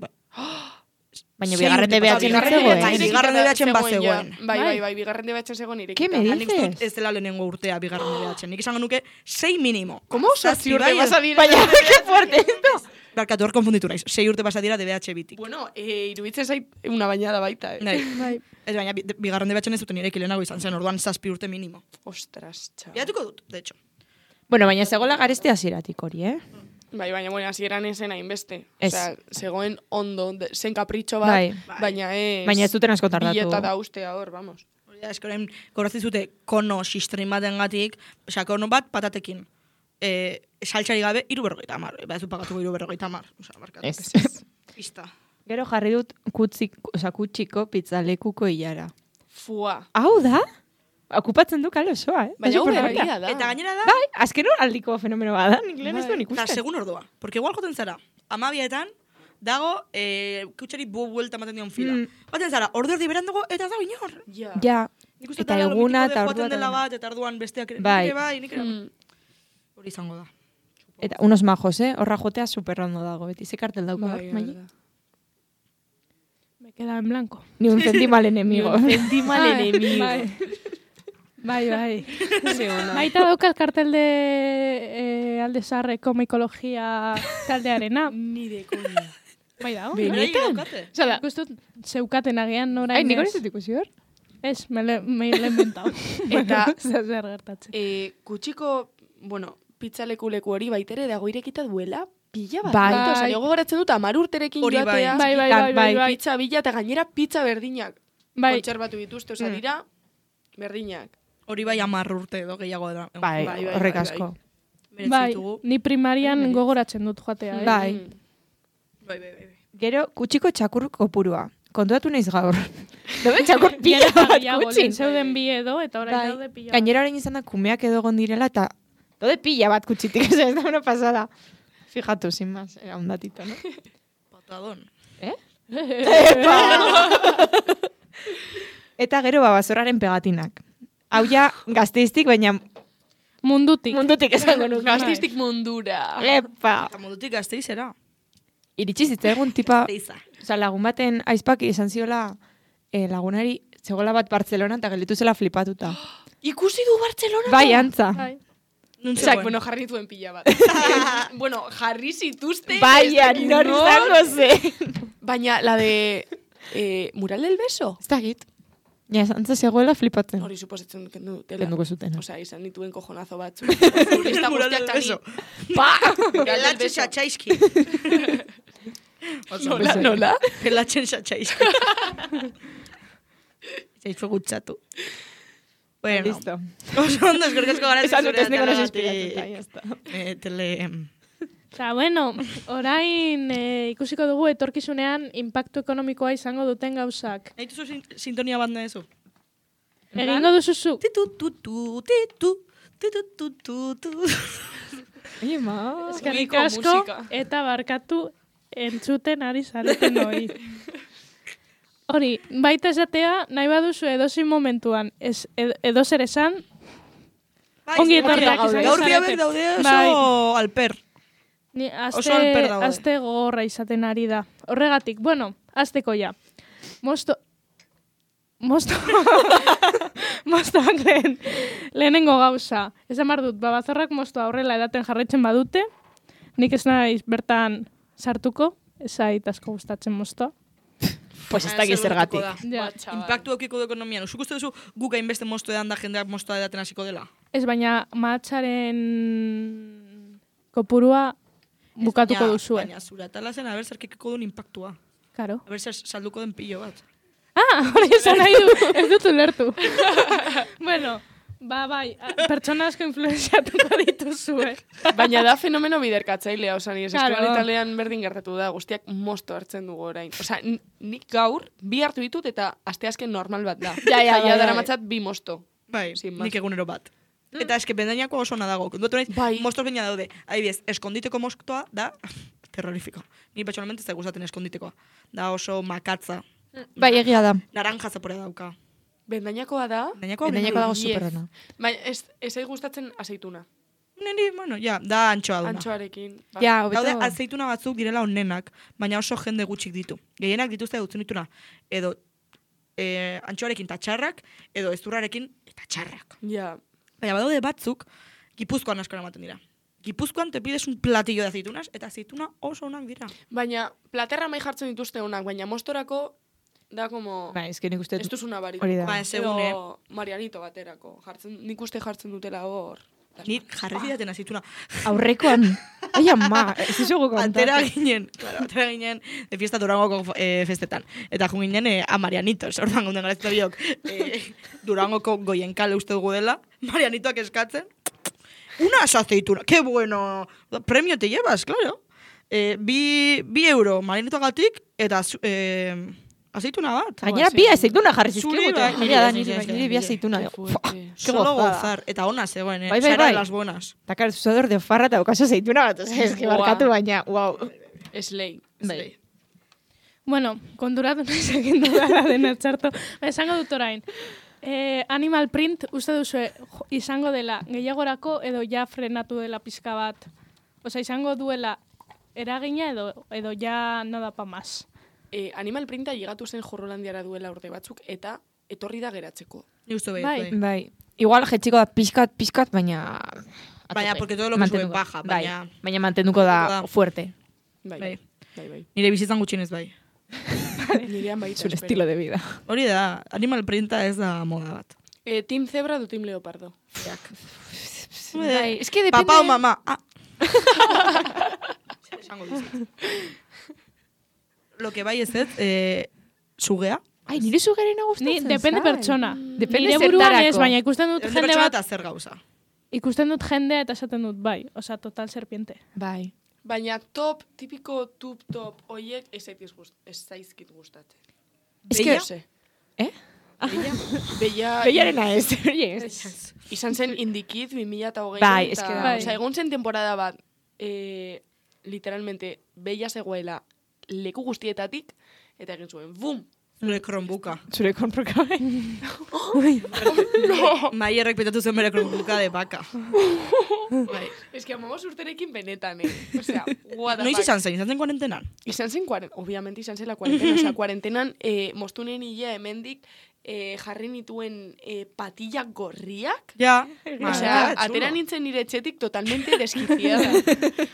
E: Baina
A: Sei
E: bigarren
A: urte
E: DBH
A: pasatu.
E: ez
A: Bigarren
E: zegoen.
A: DBH bigarren DBH-en bazegoen.
C: Bai, bigarren DBH zegoen irekita.
E: ¿Qué me
A: Nik uste dut
E: dices?
A: ez dela lehenengo urtea bigarren DBH. Nik esango nuke 6 minimo.
C: ¿Cómo?
A: Zazpi
C: 6 urte
A: bai,
C: pasa dira.
E: Baina, qué fuerte esto.
A: Barkatu hor konfunditu naiz. 6 urte pasa dira DBH bitik.
C: Bueno, iruditzen zait una bañada baita, eh?
A: Nahi.
D: Bai.
A: Ez baina, bigarren DBH-en ez duten ireki lehenago izan zen, orduan 7 urte minimo.
C: Ostras, chaval.
A: Biatuko dut, de hecho.
E: Bueno, baina zegoela garestea hasieratik hori,
C: Bai, baina, bueno, hasieran esen hainbeste.
E: Ez.
C: Osea, zegoen ondo, zen kapritxo bat,
E: Bai.
C: baina ez...
E: Baina ez duten asko tardatu.
C: Bileta da ustea hor, vamos.
A: Hori da, eskoren, kobratzen zute kono sistrin baten gatik, osea, kono bat patatekin. Saltxari gabe, 3,50. Ba, ez du pagatuko 3,50. Osea, barkatu.
E: Ez.
A: Pista.
E: Gero jarri dut kutsiko pizzalekuko hilara.
C: Fua.
E: Hau da? Okupatzen du kale osoa,
C: Baina hau
E: supergarria.
C: berria da.
A: Eta gainera da,
E: Bai, azken aldiko fenomeno bada, nik lehen ez duen
A: eta
E: ikusten.
A: segun ordua. Porque igual joten zara, 12etan, dago, kutxari buelta ematen dion fila. Baten zara, ordu erdi berandugo, eta ez dago inor.
C: Ja.
E: Ja,
A: Nik uste
E: eta
A: dela lo
E: eguna
A: mitiko de
E: eta
A: joaten
E: ordua.
A: dela
E: eta-
A: bat, eta arduan besteak ere.
E: Bai.
A: Nik ere bai, nik ere bai.
C: Mm.
A: Hori izango da.
E: Eta unos majos, horra jotea superrondo dago, beti ze kartel dauka.
C: Bai,
E: hor, Mai?
C: verdad.
D: Me queda en blanco.
E: Ni un centima al enemigo.
C: Centima al
D: Bai,
C: enemigo.
D: Bai.
C: Sí, ona.
D: Baita dauka el cartel de Alde Zaharreko Mikologia taldearena.
C: Ni de coña.
D: Bai dago.
C: Benetan?
A: Daukate.
E: Osea,
D: Nik uste dut zeukaten agian orain.
E: Ai, nik hori
D: ez.
E: ez dut ikusi hor?
D: Ez, me lo he inventado.
C: Eta-
D: Zer gertatzen.
C: Kutsiko, bueno, pitzaleku leku hori baitere dago irekita duela pila bat.
E: Bai.
C: Bai. Osa, jo gogoratzen dut 10 urterekin
A: Hori bai.
C: joatea.
D: Bai.
C: Pizza bila eta gainera pizza berdinak.
D: Bai.
C: Kontserbatu dituzte, osea, dira berdinak.
A: Hori bai 10 urte edo gehiago da.
E: Bai,
C: Bai, bai,
E: horrek
C: bai,
E: asko.
A: Merezi
D: Bai,
A: ditugu.
D: ni primarian gogoratzen dut joatea.
E: Bai.
C: Mm.
A: Bai.
E: Gero, kutsiko txakur kopurua. kontuatu naiz gaur. Dobe txakor pila bat kutxin.
D: Zeuden bi edo, eta orain
E: Bai.
D: daude pila bat.
E: Gainera orain izan da kumeak edo egon direla, eta daude pila bat kutxitik, ez da una pasada. Fijatu, sin más, era un datito, ¿no?
A: Patadón.
E: Eta gero babazorraren pegatinak. Hau ja gazteiztik, baina
D: Mundutik.
E: esango nuke.
C: Gaztistik mundura.
E: Epa!
A: Eta modutik gazteizera.
E: Iritsi zitzaigun tipa,
A: Gazteiza.
E: oza, lagun baten aizpaki izan ziola lagunari, zegoela bat Bartzelona eta gelditu zela flipatuta.
C: Ikusi du Bartzelona?
E: Bai, antza.
D: Bai.
A: Nun
C: Osak,
A: zegoen.
C: bueno, jarri nituen pila bat. Bueno, jarri zituzte.
E: Baina,
C: ez dakit
E: nor izango zen.
C: Baina, la de... Mural del beso?
E: Ez dakit. Ja, antza zegoela flipatzen.
C: Hori suposatzen kendu dela.
E: Kenduko zuten.
C: Osea, izan nituen kojonazo batzu. Turista
A: Mural
C: guztiak
A: del
C: tani.
A: beso.
C: Pa! Mural del
A: Pelatxe
C: beso.
A: xatxaizki.
C: Nola, nola?
A: Pelatxen xatxaizki. Zaitzu gutxatu. Bueno,
E: Listo.
A: oso ondo eskerkesko gara
E: Esan dut ez
A: zure
E: negoen
A: atalagatik.
E: espiratuta, ya está.
A: Tele...
D: Eta, bueno, orain ikusiko dugu etorkizunean inpaktu ekonomikoa izango duten gauzak.
A: Nahi duzu sintonia bat nahezu?
D: Egingo duzuzu.
A: Titu, tutu, titu, titu, tutu, tutu.
E: Oye, ma.
D: Eskerrik
C: Ubiko
D: asko
C: musika.
D: eta barkatu entzuten ari zareten hori. Hori, baita esatea, nahi baduzu edozin momentuan, edozer esan, ongi etorriak izango
A: Gaur
D: zarete.
A: biabek daude oso
D: Bai.
A: alper.
D: Ni
A: Oso alper daude.
D: aste gogorra izaten ari da. Horregatik, bueno, asteko ja. Mostoak lehenengo gauza. Esan behar dut, babazorrak mostoa horrela edaten jarraitzen badute, nik ez naiz bertan sartuko, ez zait asko gustatzen mostoa.
E: Pues ez dakit zergatik.
D: Ja.
A: Impactu aukiko du ekonomian. Zuk uste duzu guk hainbeste mosto edan da jendeak mostoa edaten hasiko dela?
D: Ez baina mahatsaren kopurua bukatuko
A: Baina-
D: duzue.
A: Baina zura talazen haber zerkikiko duen impactua.
D: Karo.
A: Haber zer salduko den pilo bat.
D: Hori esan nahi du, ez dut ulertu. Bueno, bai, pertsona asko influenziatuko dituzue.
C: Baina da fenomeno biderkatzailea, osa ni
D: Claro.
C: eskual italian berdin gertatu da, guztiak mosto hartzen dugu orain. Osa, nik gaur bi hartu ditut eta asteazken normal bat da.
E: Ja,
C: Eta
E: bai.
C: daramatzat bi mosto.
A: Bai,
C: Sin más.
A: nik egunero bat. Eta eske bendainako oso ona dago. Kontuatu naiz,
C: Bai.
A: mostos baina daude. Adibidez, eskonditeko mostoa da terrorifiko. Ni personalmente ez da gustatzen eskonditekoa. Da oso makatza.
E: Bai, egia da.
A: Naranja zaporea dauka.
C: Bendainakoa da,
A: Bendainako
E: Bendainako dago
C: Yes.
E: superrona.
C: baina ez zait gustatzen azeituna.
A: Niri, bueno, ja, da antxoa duna.
C: Antxoarekin. Ba.
E: Ja,
A: Daude,
E: hobeto.
A: azeituna batzuk direla onenak, baina oso jende gutxik ditu. Gehienak dituzte dutzen dituna, edo antxoarekin eta txarrak, edo ezurrarekin eta txarrak.
C: Ja.
A: Baina badaude batzuk, Gipuzkoan askora ematen dira. Gipuzkoan te pides un platillo de aceitunas, eta aceituna oso onak dira.
C: Baina, platerra mai jartzen dituzte honak, baina mostorako da como...
E: Bai, eske nik uste
C: Ez duzuna barik.
E: hori da.
A: Ba, segune.
C: Edo Marianito baterako. Nik uste jartzen dutela hor.
A: Ni jarri zidaten aceituna.
E: Aurrekoan. Ai, ama, ez izugu
A: Atera
E: kontatu.
A: ginen de fiesta Durangoko festetan. Eta jo ginen a Marianitos, orduan gunden garazita biok. Durangoko goienkale uste dugu dela, Marianitoak eskatzen. Unas aceitunas, qué bueno. Premio te llevas, claro. Bi euro Marianitoagatik eta aceituna bat.
E: Gainera bi aceituna jarri
A: Zuri,
E: zizkigute.
A: bai,
E: Egia da,
A: niri,
E: niri
A: bai,
E: niri bi aceituna.
C: Qué fuerte.
E: Qué
A: Solo
E: gozada.
A: gozar. Eta ona zegoen,
E: Bai, bai,
A: Sara
E: bai.
A: de las buenas.
E: Eta karo, zuzador de farra eta okaso aceituna bat. Osa, eski
C: Buah.
E: barkatu baina, wow.
C: Slay.
E: Bai.
D: Bueno, konturatu nahiz egin dudala dena txarto. Esango dut orain. Animal print uste duzu izango dela gehiagorako edo ja frenatu dela pizka bat. Osa, izango duela eragina edo ja no da pa más.
C: Animal printa llegatu zen Jorrolandiara duela urte batzuk eta etorri da geratzeko.
A: Ni uste bai,
D: Bai.
A: bai.
E: Bai. Igual jetxiko da pizkat, baina...
A: Baina,
E: atope.
A: porque todo lo que sube
E: Mantenduko.
A: baja,
E: Bai,
A: baina-
E: baina mantenduko da
A: Da.
E: fuerte.
C: Bai,
A: Bai.
C: bai.
A: Nire bizitzan gutxienez bai.
C: Nirean baita.
E: Zure
C: espero.
E: estilo de vida.
A: Hori da, animal printa ez da moda bat.
C: Team Zebra du Team Leopardo.
E: Bai, es que depende...
A: Papa o mama. Ah. Esango dizut. Lo que bai ez sugea.
E: Ai, nire sugerena
D: Ni,
E: gustatzen
D: depende
E: zait.
D: pertsona.
E: Depende
D: Nire buruan ez,
E: zertarako.
D: baina ikusten dut
A: Depende
D: jende
A: pertsona
D: bat,
A: eta zer gauza.
D: ikusten dut jendea eta esaten dut bai. Osa, total serpiente.
E: Bai.
C: Baina tipiko top, oiek ez zaizkit gustatzen.
A: Beia?
C: Ze.
E: Eh?
C: Beia...
E: Beiarena ez. Yes.
C: Izan zen Indikid 2020.
E: Bai, eske da.
D: Bai.
C: Osea, egon zen temporada bat, literalmente, Beia zegoela leku guztietatik, eta egin zuen, bum!
A: Zure Chromebooka.
E: Zure konproka.
A: Maierrek petatu zen bere Chromebooka de baka. Bai.
C: Ez que amamos urterekin benetan, Osea, what the
A: Noiz
C: fuck.
A: izan zen kuarentenan?
C: Izan zen, obviamente izan zela kuarentena. Osea, kuarentenan, mostunen hila hemendik, jarri nituen patillak gorriak.
A: Ja.
C: Osea, atera nintzen nire etxetik totalmente desquiciada.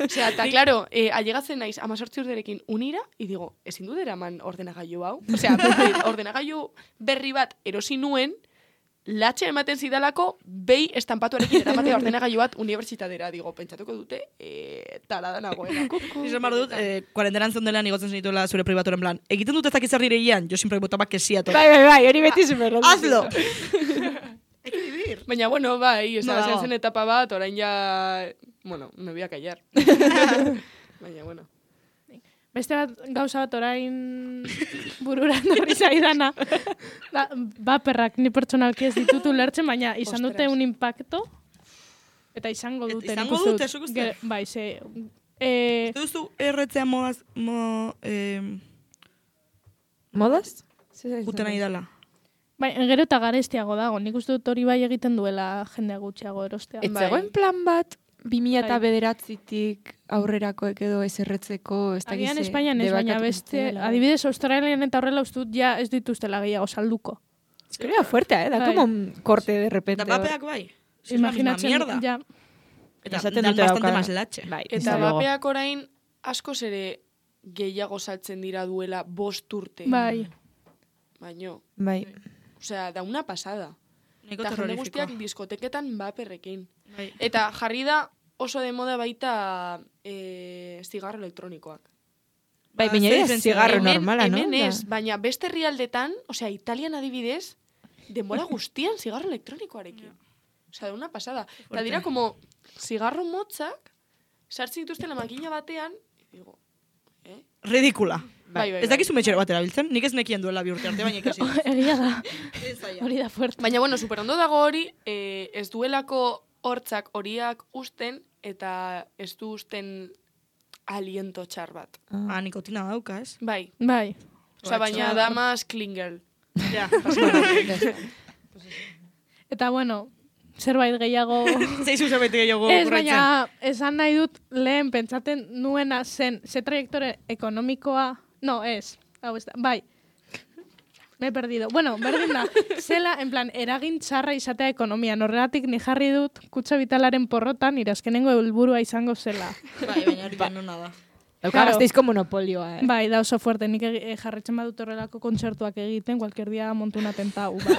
C: Osea, eta, claro, allegatzen naiz 18 urterekin unira, y digo, ezin dut eraman ordenagailu hau. Osea, ordenagailu berri bat erosi nuen, latxe ematen zidalako, behi estampatuarekin eramatea ordenagailu bat unibertsitatera. Digo, pentsatuko dute, tarada nagoena.
A: Izan behar dut, kuarentenan zondelean igotzen zenituela zure pribaturen plan. Egiten dut ezak izar direian, jo siempre botaba kesiato.
E: Bai, hori beti super.
A: Hazlo!
C: Baina, bueno, bai,
A: No.
C: zen etapa bat, orain ja, bueno, me voy a callar. Baina, bueno.
D: Beste bat, gauza bat orain bururan horri zaidana. Baperrak ni pertsonalki ez ditut ulertzen, baina izan dute
C: Ostras.
D: un impacto. Eta izango dute.
A: Izango
D: nik uste
A: dute,
D: dut.
A: zuk uste?
D: Bai, ze...
A: Ez duzu erretzea
E: Modaz?
A: juten nahi dela.
D: Bai, gero eta garestiago dago. Nik uste dut hori bai egiten duela jendea gutxiago erostea.
E: Ez
C: Bai.
E: zegoen plan bat 2009tik aurrerakoek edo ez erretzeko, ez dakiz.
D: Agian Espainian ez, baina beste, adibidez, Australian eta horrela ustut ja ez dituztela gehiago salduko.
E: Es que era fuerte, da
D: Bai.
E: como un corte de repente.
A: Eta papeak bai.
D: Imaginatzen,
A: mierda.
D: ja.
A: Eta
E: Esaten
A: dan
E: dute
A: bastante
E: daukala.
A: más latxe.
E: Bai,
C: Eta
E: desde luego.
C: bapeak orain askoz ere gehiago saltzen dira duela 5 urte.
D: Bai.
C: Baino,
E: Bai.
C: osea, da una pasada.
A: Nahiko
C: Eta jende
A: terrorífico.
C: guztiak diskoteketan baperrekin.
A: Bai.
C: Eta jarri da oso de moda baita zigarro elektronikoak.
E: Bai,
A: Ba,
E: baina
A: zer
E: ez
A: diferentzia
E: zigarro
C: hemen,
E: normala, no?
C: Hemen ez, baina beste herrialdetan, osea, Italian adibidez, denbora guztian zigarro elektronikoarekin. Osea, da una pasada. Eta dira, como, zigarro motzak, sartzen dituzten la makina batean, y digo,
A: Ridikula.
C: bai.
A: Ez dakizu metxero bat erabiltzen? Nik ez nekien duela bi urte arte, baina ikasi.
D: Egia da. Hori da fuerte.
C: Baina, bueno, superondo dago hori, ez duelako hortzak horiak usten, eta ez du usten aliento txar bat.
A: Ah, nikotina dauka, ez?
C: Bai.
D: Bai.
C: Osea, baina da más clean girl.
A: Ja.
D: Eta bueno, zerbait gehiago...
A: Zeizu zerbait gehiago
D: Ez,
A: korretzen.
D: baina esan nahi dut lehen pentsaten nuena zen, ze traiektore ekonomikoa... No, ez. Hau ez da. Bai. Me he perdido. Bueno, berdin da. Zela, en plan, eragin txarra izatea ekonomia. Horregatik ni jarri dut kutsa vitalaren porrotan irazkenengo helburua izango zela.
A: Bai, baina hori nona da.
E: Dauka
D: Claro.
E: Gasteizko monopolioa,
D: Bai, da oso fuerte. Nik jarretzen badut horrelako kontzertuak egiten, cualquier dia montu una tentau. Bai.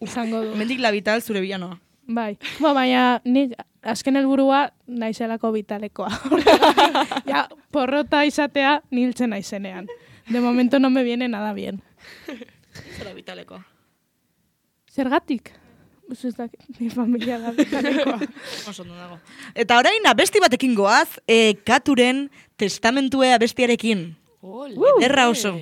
D: Izango du.
A: Mendik la vital zure bilanoa.
D: Bai. Baina nik azken helburua naizelako vitalekoa. Ja, porrota izatea niltzen naizenean. De momento no me viene nada bien.
A: Zera vitalekoa.
D: Zergatik? Ez da, ni familia da vitalekoa.
A: Oso ondo dago. Eta orain abesti batekin goaz, Katuren testamentue abestiarekin. Ederra oso.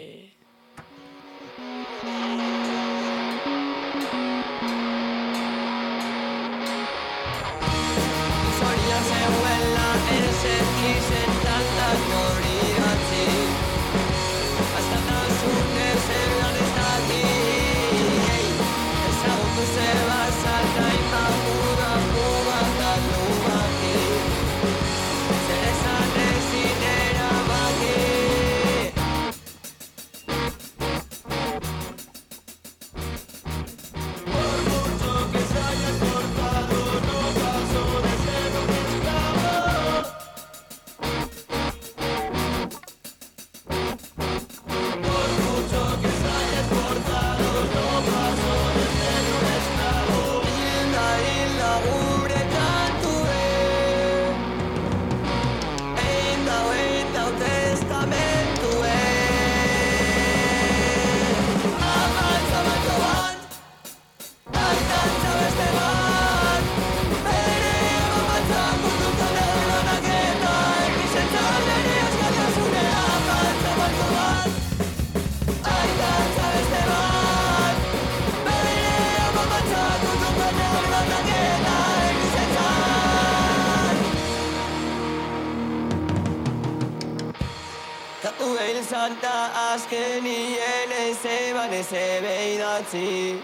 F: izan da azkenien ez eban ez ebe idatzi.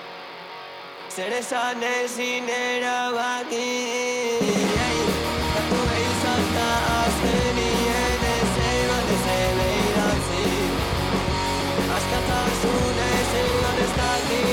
F: Zer esan ezin erabaki. Kantu izan da azkenien ez eban ez ebe idatzi. Askatasun ez eban ez daki.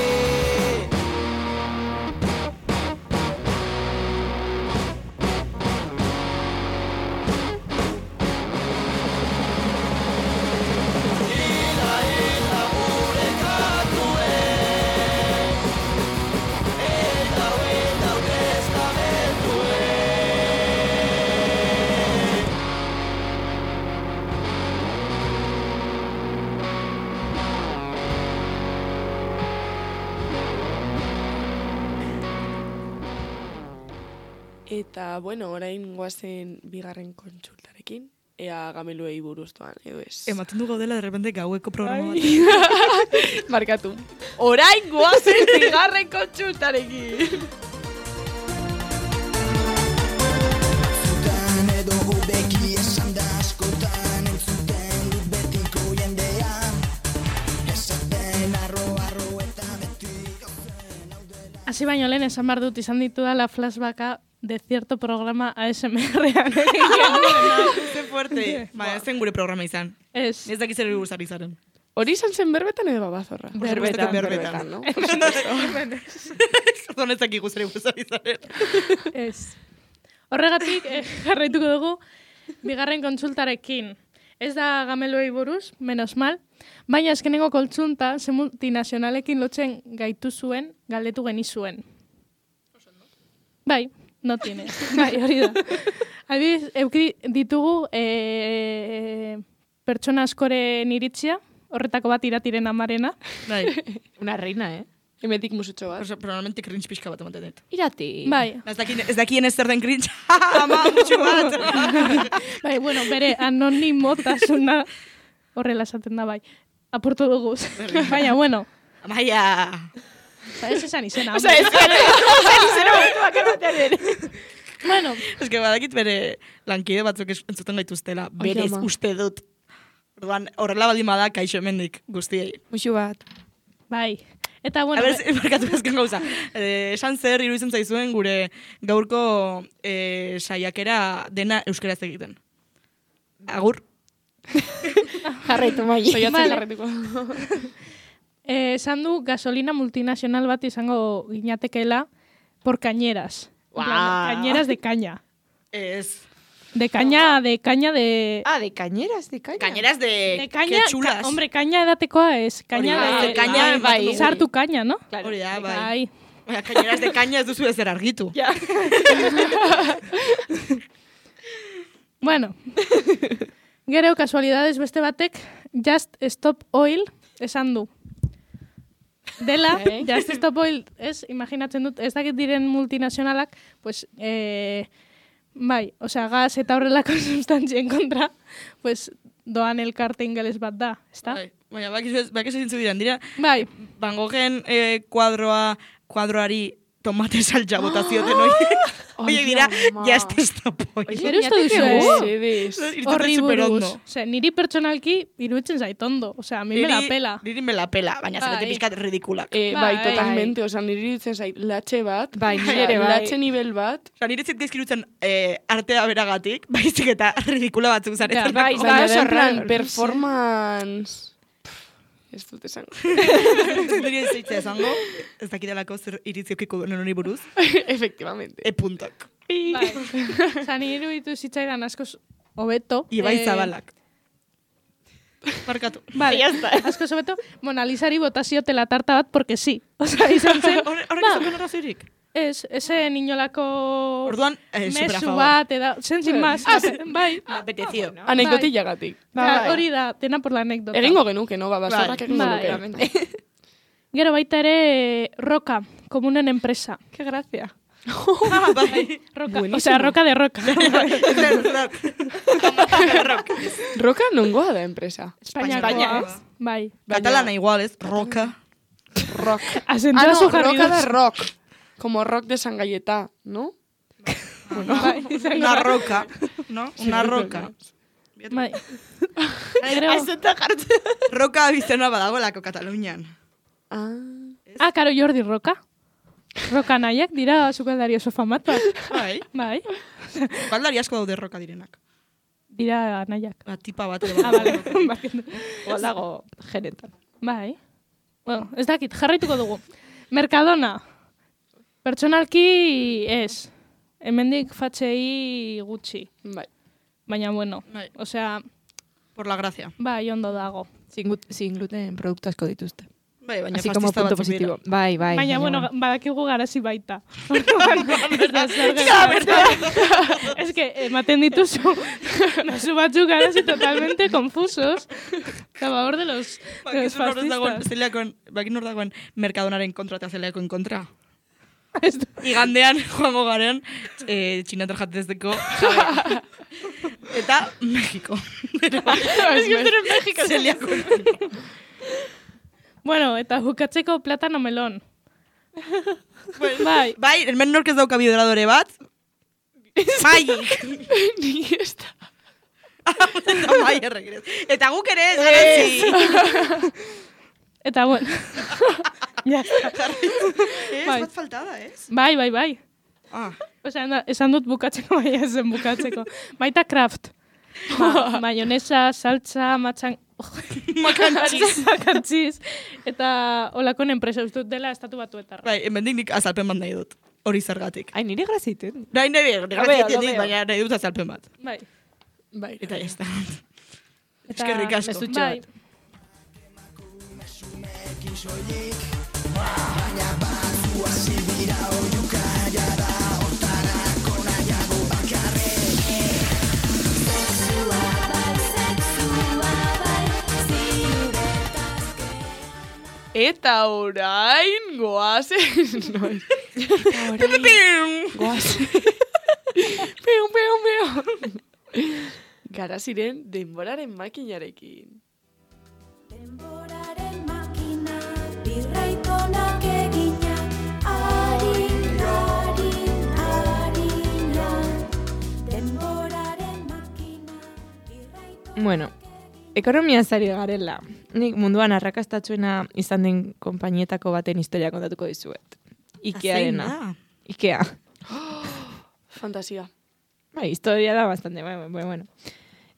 C: Eta, bueno, orain goazen bigarren kontsultarekin, ea gameluei buruztuan, edo ez.
A: Ematen du gaudela, de repente, gaueko programa bat.
C: Markatu. Orain goazen bigarren kontsultarekin.
F: Zutan edo hobeki esan da askotan entzuten dut betiko jendea. Esaten arro eta beti gauzen haudela.
D: Hasi baino lehen esan behar dut izan ditudala flashbacka de cierto programa ASMR-ean.
A: Ze fuerte. Ba, ez zen gure programa izan.
D: Ez.
A: Ez dakiz ere buruz ari zaren.
C: Hori izan zen berbetan edo babazorra?
A: Berbetan.
C: no?
A: Zordon ez dakik guzere buruz ari zaren.
D: Ez. Horregatik, jarraituko dugu, bigarren kontsultarekin. Ez da gameluei buruz, menos mal, baina azkenengo kontsulta ze multinazionalekin lotzen gaitu zuen, galdetu genizuen. Bai, no tiene. Bai, hori da. Adibidez, euki ditugu pertsona askoren iritzia, horretako bat iratiren amarena.
A: Bai.
E: Una reina,
C: Hemetik musutxo bat.
A: Probablemente cringe pixka bat ematen dut.
E: Irati.
D: Bai,
A: Ez dakien ez zer den cringe. Ama, mutxu bat.
D: bai, bueno, bere anonimotasuna horrela esaten da, bai. Apurtu dugu. Baina, bueno,
A: Amaia.
D: ez esan izena.
E: Osa, ez izena bakarbatean ere.
D: Bueno,
A: Ez que badakit bere lankide batzuk entzuten gaituztela. Berez
C: ama.
A: uste dut. Orduan, horrela baldin bada, kaixo hemendik guztiei.
E: Muxu bat.
D: bai. Eta,
A: A
D: bueno,
A: ber, markatu ezken gauza. Esan zer iruditzen zaizuen gure gaurko saiakera dena euskeraz egiten. Agur.
E: Jarraitu mai.
C: Soiatzen
D: Vale.
C: jarretuko.
D: esan du gasolina multinazional bat izango ginatekeela por cañeras. En plan,
E: Guau.
D: Cañeras de caña.
A: Ez.
D: De caña de...
E: Ah, de cañeras, de caña.
A: Cañeras de
D: De caña,
A: que chulas.
D: hombre, caña edatekoa ez. Caña
A: Hori da,
D: de...
A: caña,
E: bai.
D: Sartu caña, no?
E: Claro.
A: Hori da, bai.
D: Bai.
A: Baina, cañeras de caña ez duzu ezer argitu.
E: Ja.
D: Bueno. Gero, kasualidades beste batek, Just Stop Oil esan du. Dela, Just Stop Oil, ez, imaginatzen dut, ez dakit diren multinazionalak, pues, bai, osea, gas eta horrelako sustantzien kontra, pues, doan elkarte ingeles bat da, ezta?
A: Bai. Baina, bakizu zintzu diren, dira,
D: Bai,
A: Van Goghen kuadroari tomate saltza botazioten horiek. Oie dira, Just Stop Oil.
D: zer uste duzu,
C: Sedez.
D: horri
A: superondo.
D: buruz. Osea, niri pertsonalki iruditzen zait ondo. Osea, mi me la pela.
A: Niri me la pela, baina zarete
D: Bai.
A: pixkat ridikulak.
C: Bai,
D: Bai.
C: totalmente, osan niri iruditzen zait, latxe bat,
E: Bai, niri ere bai.
C: latxe nivel bat,
A: Osa, nire zit gezkirutzen artea beragatik, baizik eta ridikula batzuk zaretzen.
E: Ja, bai,
C: baina
E: oso
C: da en plan,
E: raro.
C: performance... Ez dut esan.
A: Nire zeitzea esango, ez dakidalako zer iritziokiko duen hori buruz,
C: Efectivamente.
A: puntok.
D: Bai. Osea, niri iruditu zitzaidan askoz hobeto.
A: Ibai Zabalak. Markatu.
D: Vale, askoz hobeto. Mona Lisari botaziotela tarta bat, porque sí. Osea, izan zen.
A: Horrek
D: ba,
A: izan arrazoirik.
D: Ez, esen inolako
A: Orduan, super a
D: mesu
A: favor.
D: bat, zen sin más. Bai,
A: Me apeteció.
C: Anekdotillagatik.
D: Ba, hori da, dena por la anécdota.
C: Egingo genuke, no? Babazorrak
A: Bai.
C: egingo
D: Bai.
C: nuke.
D: Gero baita ere Roca, komunen enpresa. Qué gracia.
A: Bai.
D: Roca,
C: Buenísimo.
D: osea, Roca de Roca.
C: Roka nongoa da enpresa.
D: Espainiakoa. Bai.
A: Katalana igual, ez? Roka.
C: Rock.
D: Azentua
C: no,
D: zu
C: roca
D: jarri
C: da
D: duz.
C: rock. Como rock de San Galleta, ¿no?
A: Una roca, ¿no? Una roca.
D: Bai.
A: Roka bizena badagolako Katalunian.
D: Karo Jordi Roka. Roka nahiak dira sukaldari oso famatuak.
A: Bai.
D: Bai.
A: Baldari asko daude roka direnak.
D: Dira nahiak.
A: Tipa bat.
D: Bale.
E: Olago genetan.
D: Bai. Bueno, ez dakit, jarraituko dugu. Mercadona. Pertsonalki ez. Hemendik fatxei gutxi.
C: Bai.
D: Baina bueno,
A: Bai.
D: osea,
A: Por la gracia.
D: bai, ondo dago.
E: Sin gluten produktu asko dituzte.
A: Bai, baina
E: Así como
A: pastista
E: punto
A: batzuk dira.
E: positivo. Bai.
D: Baina, bueno, badakigu garazi baita. Ez que, ematen dituzu, nazu batzuk garazi totalmente confusos. Acabador de los fascistas.
A: Bakin hor dagoen Mercadonaren kontra eta zeleakoen kontra. Igandean joango garen txinatar jatezdeko jabe. Eta Mexiko. Ez guzteren Mexiko zeliako.
D: Bueno, eta bukatzeko platano melon. Bai.
A: Bai, hemen nork ez dauka biodradore bat. Maiik.
C: Ni ez da.
A: Eta mai erregrez. Eta guk ere ez garantzi.
D: Eta bueno. Ya está.
A: Ez
D: Bai.
A: bat faltada, ez?
D: Bai.
A: Ah.
D: Osea, esan dut bukatzeko, baina ez zen bukatzeko. Baita Kraft. Mayonesa, saltza, makantziz, eta olakon enpresa ustut dela estatu batuetarra.
A: Bai, hemendik nik azalpen bat nahi dut. Hori zergatik.
E: Ai, nire graziten.
A: Nahi
E: Lo veo.
A: baina nahi dut azalpen bat.
D: Bai.
C: Bai.
A: Eta ez da.
D: Eta
A: Eskerrik asko.
E: mezutxo
D: Bai.
E: bat.
C: Eta orain goazen. Goazen. Peo. Gara ziren denboraren makinarekin.
G: Denboraren makina, birraitonak egina, harina. Denboraren makina, birraitonak
E: Bueno, ekonomia zari garela. Nik munduan arrakastatsuena izan den konpainietako baten historia kontatuko dizuet. Ikearena. Ikea.
C: Fantasia.
E: Bai, historia da bastante, bueno.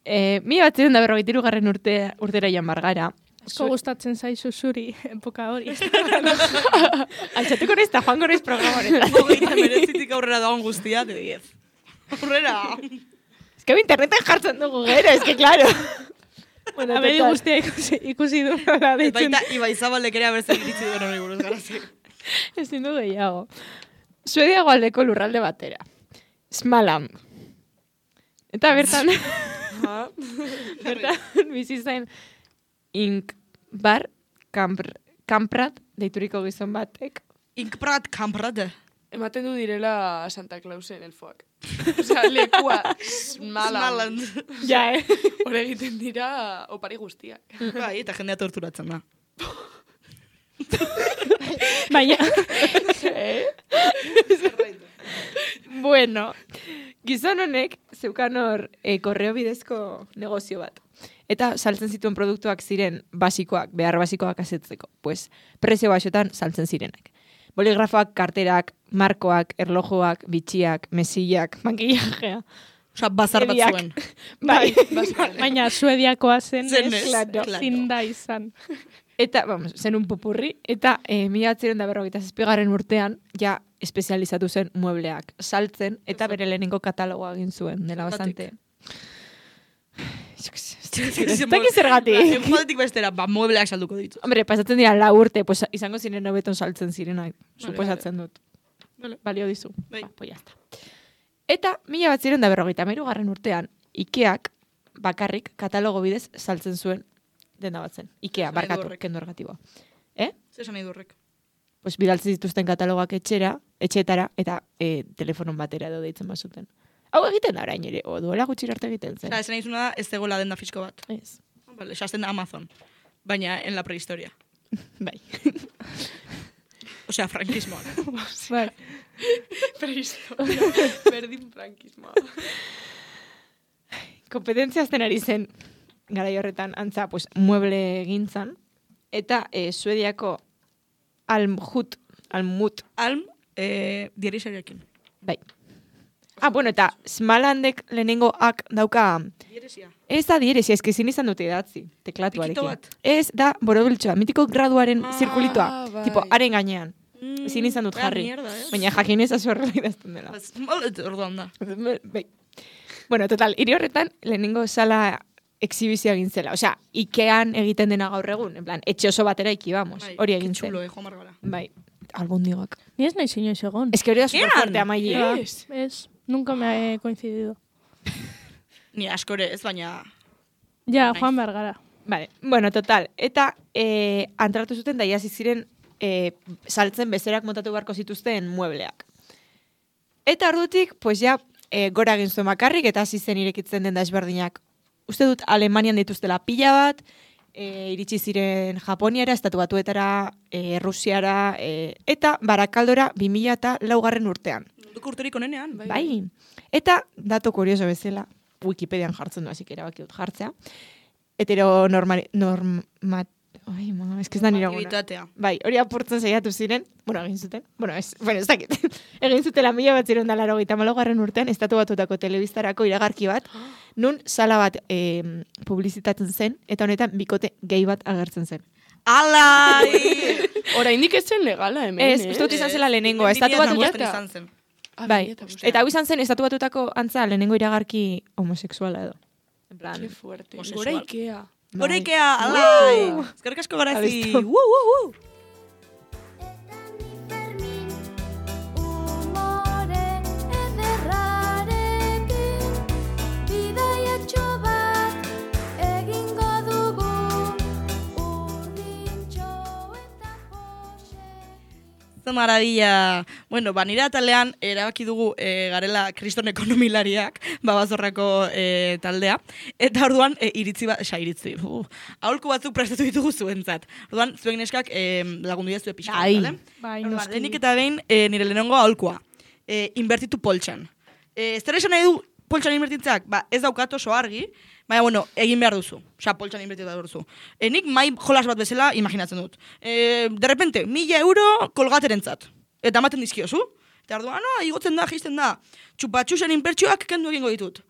E: 1943 urtera joan bargara.
D: Asko gustatzen zaizu zuri epoka hori.
E: Altxatuko naiz eta joango naiz programoretan.
A: Hogeita meretzitik aurrera dagoen guztia, de 10. Aurrera!
E: Es que interneten jartzen dugu gero, es que claro. Bueno,
D: Abedi
E: total.
D: guztia ikusi du nola deitzen.
A: Baita Ibai Zabalek ere abertzen iritsi duen hori buruz garazi.
E: Ezin du gehiago. Suedia goaldeko lurralde batera. Smaland. Eta bertan, bertan bizi zen Inkbar Kamprad deituriko gizon batek.
A: Inkprat kanprate.
C: Ematen du direla Santa Clausen elfoak. Osea, lekua smalan.
E: Ja,
C: Hor egiten dira opari guztiak.
A: Bai, eta jendea torturatzen da.
D: Baina,
E: Bueno, gizon honek zeukan hor korreo bidezko negozio bat. Eta saltzen zituen produktuak ziren basikoak, behar basikoak asetzeko. Pues, prezio baxotan saltzen zirenak. Boligrafoak, karterak, markoak, erlojuak, bitxiak, mesillak, makillajea.
A: Osa, bazar bat
E: Ebiak.
A: zuen.
E: Bai,
D: baina Suediakoa zen,
A: Zen
D: ez?
A: ez, claro.
D: Zinda izan.
E: eta, vamos, zen un popurri, eta 1947 urtean, ja espezializatu zen muebleak saltzen, eta bere lehenengo katalogoa egin zuen, dela bastante. Ez dakit zergatik.
A: Jodetik bestera, muebleak salduko ditu.
E: Hombre, pasatzen dira 4 urte, pues izango ziren hobeton saltzen zirenak, suposatzen dut. Balio dizu.
A: Bai.
E: Pues ya está. Eta 1953 urtean, Ikeak bakarrik katalogo bidez saltzen zuen denda bat zen. Ikea,
A: Esan nahi
E: barkatu,
A: du horrek.
E: kendu ergatiboa.
A: Zer esan nahi durrek.
E: Pues bidaltzen zituzten katalogoak etxeetara, eta telefonon batera edo deitzen bazuten. Hau egiten da orain ere, o duela gutxi arte egiten zen.
A: Esan nahi zuna ez zegoela denda fisko bat.
E: Ez.
A: Vale, esasten da Amazon. Baina en la prehistoria.
E: Bai.
A: Osea, frankismoan.
D: Bai.
C: Prehisto. Berdin frankismoa.
E: kompetentzia azten ari zen, garai horretan, antza, pues, mueble gintzan, eta Suediako Almut,
A: Alm, dierisariakin.
E: bai. Bueno, eta Smalandek lehenengo ak dauka,
A: Dieresia.
E: ez da dieresia, eski ezin izan dute idatzi, teklatuarekin.
A: Pikito bat.
E: Ez da borobiltxoa, mitiko graduaren zirkulitoa,
C: bai.
E: tipo, haren gainean. Ezin izan dut jarri.
A: Mierda, ez?
E: Baina jakinez azu horrela idazten dela.
A: Pues, orduan da.
E: Bai. Bueno, total, hiri horretan lehenengo sala exhibizioa egin zela. Osea, Ikean egiten dena gaur egun, en plan, etxe oso batera iki, vamos.
A: Bai,
E: Hori egin zen.
A: Txulo, Juan Margara.
E: Bai, albondigak.
D: Ni ez nahi inoiz egon.
E: Ez que hori da
A: Ean!
E: superfuerte, amaili.
D: Ez, nunca me he coincidido.
A: Ni askore ez, baina...
D: Ja,
A: Nice.
D: Juan Bergara.
E: Vale, bueno, total. Eta antratu zuten da iasi ziren saltzen bezerak montatu beharko zituzten muebleak. Eta ordutik, pues ja, gora egin zuen bakarrik eta hasi zen irekitzen den da ezberdinak. Uste dut Alemanian dituztela pila bat, iritsi ziren Japoniara, Estatu Batuetara, Rusiara, eta Barakaldora 2004 urtean.
A: Munduko urterik onenean.
E: Bai. Eta, dato kurioso bezala, Wikipedian jartzen du, hasik erabaki dut jartzea. Ai, ma, ez da nire gona.
A: Normatividadea.
E: Bai, hori apurtzen saiatu ziren, egin zuten, ez dakit. Egin zutela 1984 urtean, Estatu Batuetako telebistarako iragarki bat, nun sala bat publizitatzen zen, eta honetan bikote gay bat agertzen zen.
A: Alai!
C: Oraindik ez zen legala hemen,
E: Ez, uste dut izan zela lehenengoa, Estatu Batuetan.
A: izan zen.
E: Bai, eta hau izan zen Estatu Batuetako antza lehenengo iragarki homosexuala edo. En plan,
C: Qué fuerte.
A: Homosexual.
C: Gora Ikea.
A: Horeikea, alai! Eskerrik asko garazi.
E: Abestu.
G: Umore ederrarekin bidaiatxo bat egingo dugu urdintxo eta pose.
A: Ze maravilla. Bueno, nire atalean erabaki dugu garela kriston ekonomilariak, babazorrako taldea. Eta orduan iritzi. Aholku batzuk prestatu ditugu zuentzat. Orduan, zuen neskak lagundu dira zue pixka.
E: Bai.
A: Vale?
D: Bai,
A: Orduan,
D: noski.
A: lehenik eta behin nire lehenengo aholkua. Inbertitu poltsan. Zer esan nahi du poltsan inbertitzak? Ez daukat oso argi, baina, bueno, egin behar duzu. Osa, poltsan inbertitu behar duzu. Nik mai jolas bat bezala imaginatzen dut. De repente, 1.000 euro kolgaterentzat. Eta ematen dizkiozu. Eta orduan, igotzen da, jisten da. Txupatxusen inbertsioak kendu egingo ditut.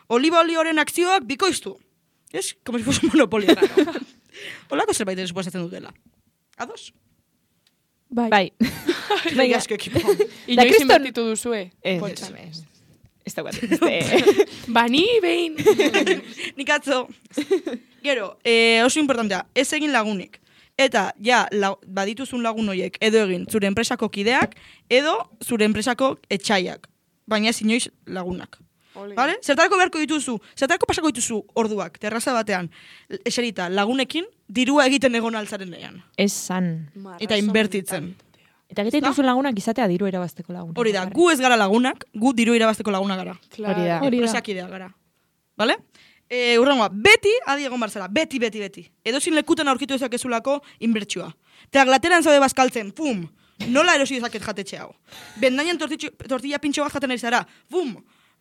A: Oliba olioren akzioak bikoiztu. Ez? Como si fuese un monopolio raro. Olako zerbait suposatzen dutela. Ados?
D: Bai.
E: bai.
A: Bai, asko ekipo.
C: Inoiz
E: kriston-
C: inbertitu duzue?
E: Ez,
C: Poltsan.
E: ez daukat.
C: Bani behin.
A: Nik atzo. Gero, oso importantea, ez egin lagunik. Eta, badituzun lagun horiek, edo egin zure enpresako kideak, edo zure enpresako etxaiak. Baina ez inoiz lagunak. Vale? Zertarako beharko dituzu, zertarako pasako dituzu orduak, terraza batean, eserita, lagunekin, dirua egiten egon altzaren nean.
E: Esan.
A: Eta inbertitzen.
E: Eta egiten duzun lagunak izatea diru erabazteko lagunak.
A: Hori da, gu ez gara lagunak, gu diru irabazteko laguna gara.
E: Hori da.
D: Hori da.
A: Enpresakidea gara. Vale? Urrengoa, beti adi egon barzara, beti. Edozin lekutan aurkitu dezakezulako inbertsioa. Eta glateran zaude bazkaltzen, pum, nola erosi dezaket jatetxe hau. Bendainan tortilla pintxo bat jaten ari zara, pum,